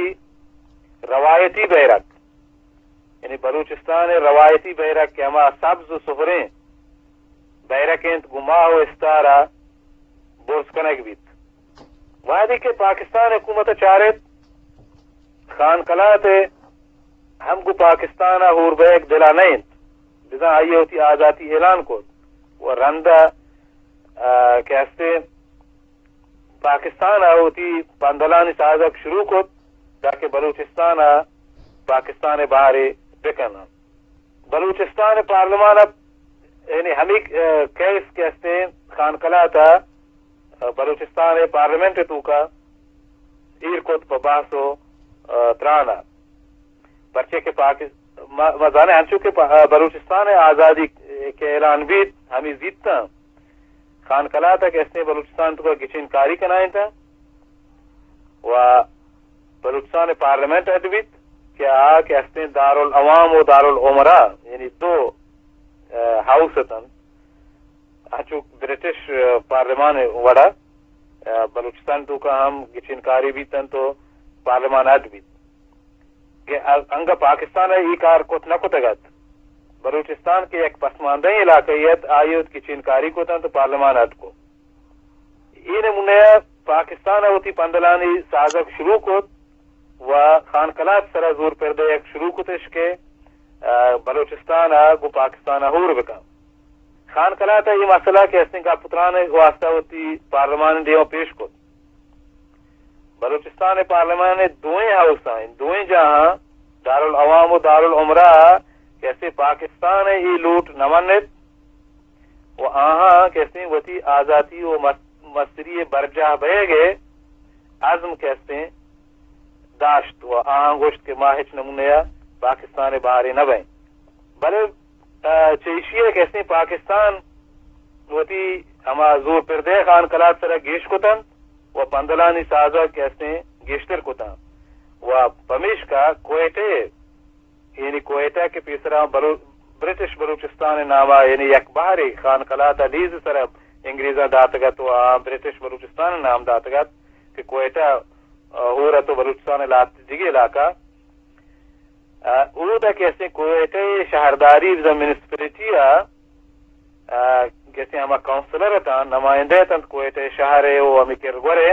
روایتی بیرک، یعنی بلوچستان ءِ روایتی بیرک کہ ہما سبز و سہریں بیرک انت، گوں ماہ و استار ءَ برز کنگ بیت۔ وہدے کہ پاکستان حکومت ءَ چارت، خان کلات ءِ ہم گوں پاکستان ءَ ہور بئیگ دل ءَ نہ انت، بزاں آئی ءَ وتی آزاتی اعلان کت و رند ءَ، آ، کہ ہستے پاکستان ءَ وتی پندلانی سازگ شروع کت تاکہ بلوچستان ءَ پاکستان ءِ بہرے بکناں۔ بلوچستان ءِ پارلیمان ءَ، یعنی ہمے، آ، کیس کہ ہستیں خان کلات ءَ، آ، بلوچستان ءِ پارلیمنٹ ءِ توکا ایر کت پہ بحث و، آ، تران ءَ۔ پرچے کہ پاکس-، ما، ما زانیں انچو کہ پا-، آ، بلوچستان ءِ آزادی کہ اعلان بیت، ہمے زیتاں خان کلات ءَ کہ ہستیں بلوچستان توکا گچین کاری کنائینتاں و بلوچستان ءِ پارلیمنٹ اڈ بیت کہ آ کہ ہستیں دارالعوام و دارالعمرا، یعنی دو، آ، ہاؤس اتنت، انچو برٹش، آ، پارلیمان ءِ وڑا، آ، بلوچستان توکا ہم گچین کاری بیت انت و پارلیمان اڈ بیت کہ ا-، انگہ پاکستان ءَ اے کار کت نہ کتگ ات۔ بلوچستان کہ یک پسماندہیں علاقہ ات، آئی ءَ وت گچین کاری کت انت و پارلیمان اڈ کت۔ اے نمونہ ءَ پاکستان ءَ وتی پندلانی سازگ شروع کت و خان کلات سرا زور پر دئیگ شروع کتش کہ، آ، بلوچستان ءَ گوں پاکستان ءَ ہور بکن۔ خان کلات ءَ اے مسئلہ کہ ہستیں گپ و تران ءِ واستہ وتی پارلیمان ءِ دیما پیش کت۔ بلوچستان ءِ پارلیمان ءِ دوئیں ہاؤساں، دوئیں جاہاں، دارالعوام و دارالعمرہ ءَ کہ ہستیں پاکستان ءِ اے لوٹ نہ منت و آہاں کہ ہستیں وتی آزاتی و مس-، مستری ءِ برجاہ بئیگ ءِ عزم کہ ہستیں داشت و آہاں گوشت کہ ما ہچ نمونہ ءَ پاکستان ءِ بہرے نہ بئیں۔ بلے، آ، چہ ایشی ءَ کہ ہستیں پاکستان وتی ہما زور پر دئے خان کلات سرا گیش کت انت و پندلانی سازگ کہ ہستیں گیشتر کت انت و پمیشکا کوئٹہ ءَ، یعنی کوئٹہ کہ پیسرا بلو-، برٹش بلوچستان ءِ ناما، یعنی یک بہرے خان کلات ءَ لیز سرا انگریزاں داتگ ات و آ برٹش بلوچستان ءِ نام داتگ ات کہ کوئٹہ، آ، ہور ات و بلوچستان ءِ لہتے دگہ علاقہ، آ، اودا کہ ہستیں کوئٹہ ءِ شہرداری بزاں میونسپلٹی ءَ، آ، کہ ہستیں ہما کونسلر اتاں، نمائندہ اتنت کوئٹہ شہر ءِ و ہمے کرگور ءِ۔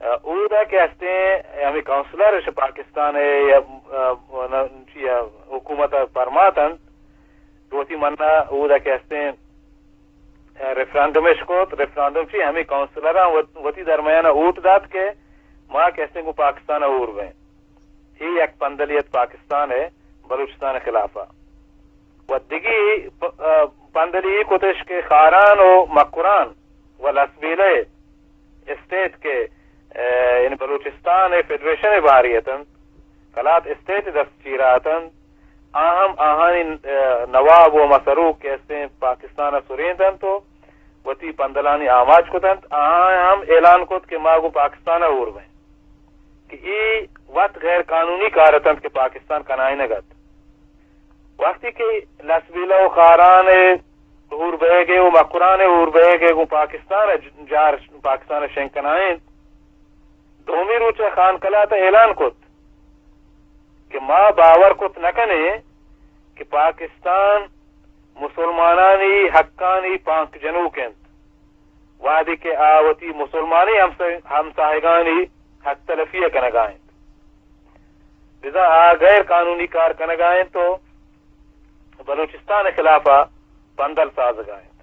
آ، اودا کہ ہستیں ہمے کونسلر اش پاکستان ءِ یا، آ، نہ، چی، آ، حکومت ءَ پرماتنت، وتی منا اودا کہ ہستیں، آ، ریفرنڈم اش کت، ریفرنڈم چی ہمے کونسلراں وت-، وتی درمیان ءَ ووٹ دات کہ ما کہ ہستیں گوں پاکستان ءَ ہور بیں۔ اے یک پندلی ات پاکستان ءِ بلوچستان ءِ خلاف ءَ۔ و دگہ پ-، آ، پندلی اے کتش کہ خاران و مکران و لسبیلہ ءِ اسٹیٹ کہ، آ، یعنی بلوچستان ءِ فیڈریشن ءِ بہرے اتنت، کلات اسٹیٹ ءِ دست چیرا اتنت، آ ہم آہانی، آ، نواب و ہما سروک کہ استیں پاکستان ءَ سرینتنت و وتی پندلانی آماچ کتنت، آہاں ہم اعلان کت کہ ما گوں پاکستان ءَ ہور بیں۔ کہ اے وت غیر قانونی کار اتنت کہ پاکستان کنائینگ ات۔ وقتی کہ لسبیلہ و خاران ءِ ہور بئیگ ءِ و مکران ءِ ہور بئیگ ءِ گوں پاکستان ءَ ج-، جار پاکستان ءَ شنگ کنائینت، دومی روچ ءَ خان کلات ءَ اعلان کت کہ ما باور کت نہ کنیں کہ پاکستان مسلمانانی حقانی پانک جنوک اِنت، وہدے کہ آ وتی مسلمانیں ہمسا-، ہمساہگانی حق تلفی ءَ کنگ ءَ اِنت۔ بزاں آ غیر قانونی کار کنگ ءَ اِنت ءُ بلوچستان ءِ خلاف ءَ پندل سازگ ءَ اِنت۔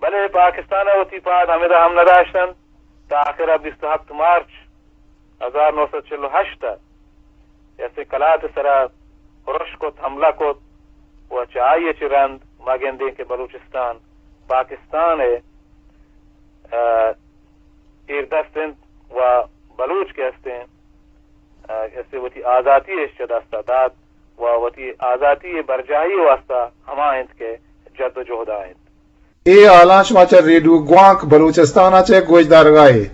بلے پاکستان ءَ وتی پاد ہمدا ہم نہ داشت اَنت۔ تاں آخر ءَ بیست ءُ ہپت مارچ ہزار نو سد چل ءُ ہشت ءَ ایسے کلات ءِ سرا ارش کت، حملہ کت ءُ چہ آئی ءَ چہ رند ما گندیں کہ بلوچستان پاکستان ءِ، آ، ایردست اِنت ءُ بلوچ کہ ہستیں، آ، ایسے وتی آزاتی اِش چہ دست ءَ دات ءُ وتی آزاتی ءِ برجاہی ءِ واستہ ہما اِنت کہ جد ءُ جہد ءَ اِنت۔ اے ہالاں شما چہ ریڈیو گوانک بلوچستان ءَ چہ گوشدارگ ءَ اِت۔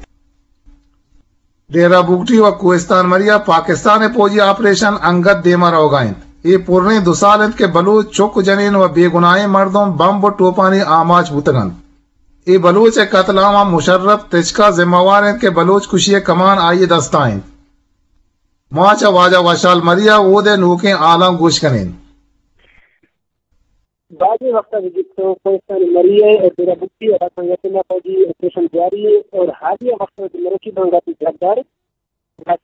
ڈیرہ بگٹی ءُ کوہستان مری ءَ پاکستان ءِ پوجی آپریشن انگت دیم ءَ روگ ءَ اِنت۔ اے پریں دو سال اِنت کہ بلوچ چک ءُ جنین ءُ بے گناہیں مردم بمب ءُ ٹوپانی آماچ بوتگ اَنت۔ اے بلوچ ءِ قتل عام ءَ مشرف تچک ءَ ذمہ وار اِنت کہ بلوچ کشی ءِ کمان آئی ءِ دست ءَ اِنت۔ ما چہ واجہ وشحال مری ءَ اود ءِ نوکیں ہالاں گوش کن ایں۔ بازیں وقت ءَ بگیت تو کوہستان مری ءَ اور ڈیرہ بگٹی علاقہ یتنا فوجی آپریشن جاری ہے اور حالیہ وقت ءَ مروچی بانگا کی جھگدار،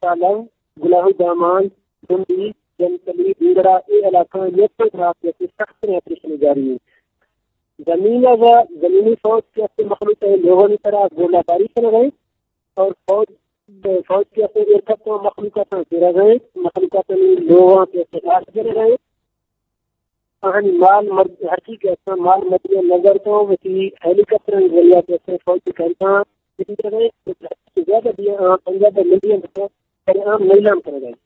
سالم، گلاہو دامان، ڈنڈی، جنتلی، ڈنگرا، اے علاقہ یتنا رات یتنا سخت آپریشن جاری ہے۔ زمین ءَ زمینی فوج کہ است مخلوق ءِ لوگانی سرا گولہ باری کنگ ءَ اِنت اور فوج، فوج کہ است ایئرکرافٹ ءَ مخلوقاتاں گرگ ءَ اِنت، مخلوقاتانی لوگاں کہ است ٹارچ کنگ ءَ اِنت۔ آہانی مال مرد، ہرچی کہ است مال مدی نظر تو وتی ہیلی کاپٹر ذریعہ کہ است فوج کیمپاں گرگ ءَ اِنت، زیادہ بھی آ پنجاب ملین پر عام نیلام کنگ ءَ اِنت۔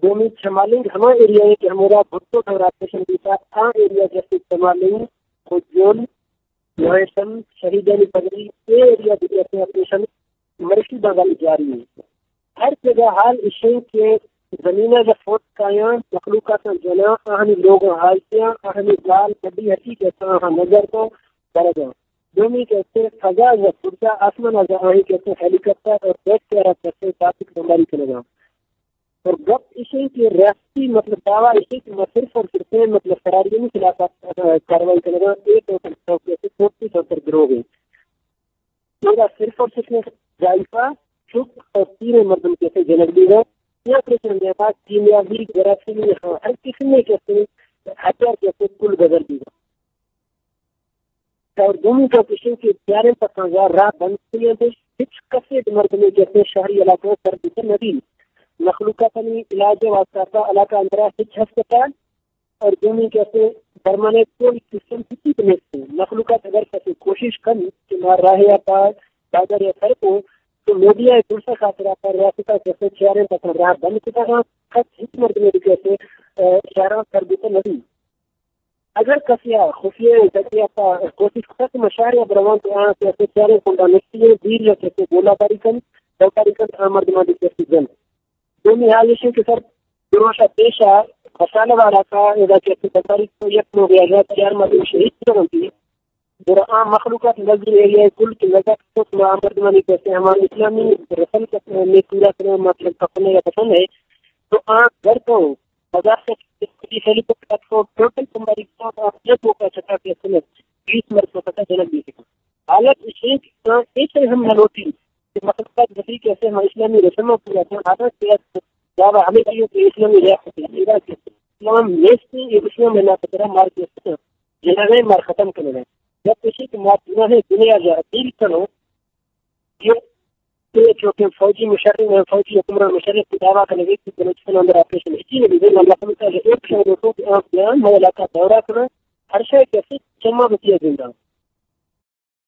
دومی چمالنگ ہما ایریا ہے کہ ہمودا بھٹو دور آپریشن بیتا، آ ایریا جیسے چمالنگ، کجول، مہیشم، شہیدانی پگڑی، اے ایریا بھی ایسے آپریشن مرشی بغل جاری ہے۔ ہر جگہ حال اشیں کہ زمینہ جا فوت کایاں، مخلوقات جناں، آہانی لوگ حال کیاں، آہانی گال بڈی ہٹی کہ آہاں نظر کو برگاں۔ دومی کہ اسے فضا یا پرزا آسمان از آہی کہ اسے ہیلی کاپٹر اور جیٹ ایئرکرافٹ سے ٹرافک بمباری کنگا۔ اور گپ ایش ہے کہ ریاستی مطلب دعویٰ ایش ہے کہ ما صرف اور صرف مطلب فراری نہیں خلاف، آ، کارروائی کرنا، ایک اور صرف چوکی سے چوکی سے پر گروہ ہے۔ میرا صرف اور صرف جائفہ، چک اور تین مردم کیسے جنگ دی گئے۔ یہ آپریشن کے بعد کیمیابی، جراثیمی، ہر قسم کے کیسے ہتھیار کیسے کل بدل دی گئے۔ اور دومی گپ ایش کہ چاریں پساں راہ بند کتگ انت، ہچ کسے مردمے کہ شہری علاقہ سر بوت نہ بیت۔ مخلوقاتانی علاج ءِ واستہ علاقہ اندرا ہچ ہسپتال اور دومی کہ درمانے کوئی سسٹم کسی بھی نہیں۔ مخلوقات اگر کسی کوشش کن کہ ما راہ یا پا بازار یا سر کو تو میڈیا ءِ درست خاطر پر ریاست ءَ کہ چاریں پساں راہ بند کتگ انت، کس ہچ مردمے کہ شہراں سر بوت نہ بیت۔ اگر کسی ءَ خفیہ ڈگے ءَ پہ کوشش کتگ کہ مشارے ءَ بروان تو آں کہ اسے چاریں کنڈا نشتی ہیں، دیر یا کسے گولہ باری کن، بمباری کن، آ مردمان دی کسی جن۔ دومی حال ایش کہ سر دروشا پیشا مسالہ والا کا ادا کہ اسے بمباری کو یک لوگ یا چار مردم شہید کتگ انت۔ گڑا آ مخلوقات نظر ایریا کل کہ نظر تو آ مردمانی کسے ہما اسلامی رسم میں پورا کرنا مطلب کپنے یا پسند ہے تو آ گھر کو مزار سے خیلی کو پلیٹ فارم ٹوٹل تمہاری کو آپ جب وہ کا چکا کے سنے بیس مرد کو پتہ جنک بھی سکتا۔ حالت ایش ہے کہ آ ایسے ہم نہ ہوتی کہ مخلوقات بسی کہ اسے ہم اسلامی رسم پورا کرنا۔ حالت سے دعویٰ ہمیں کیوں کہ اسلامی ریاست ہے، اسلام نیست ہے، یہ اسلام میں نہ پتہ مار کے جنگ ءَ مار ختم کنگ ءَ۔ یک ایشی کہ ما پورا ہے دنیا ءَ اپیل کنوں کہ اے چوکیں فوجی مشرف، فوجی حکمران مشرف کہ دعویٰ کنگ ءَ کہ بلوچستان اندر آپریشن ہچی نہ بیت، اللہ تعالیٰ ایک شے لوٹوں کہ آپ بیان مئے علاقہ دورہ کناں، ہر شے کہ اسے چما بتیا زندہ۔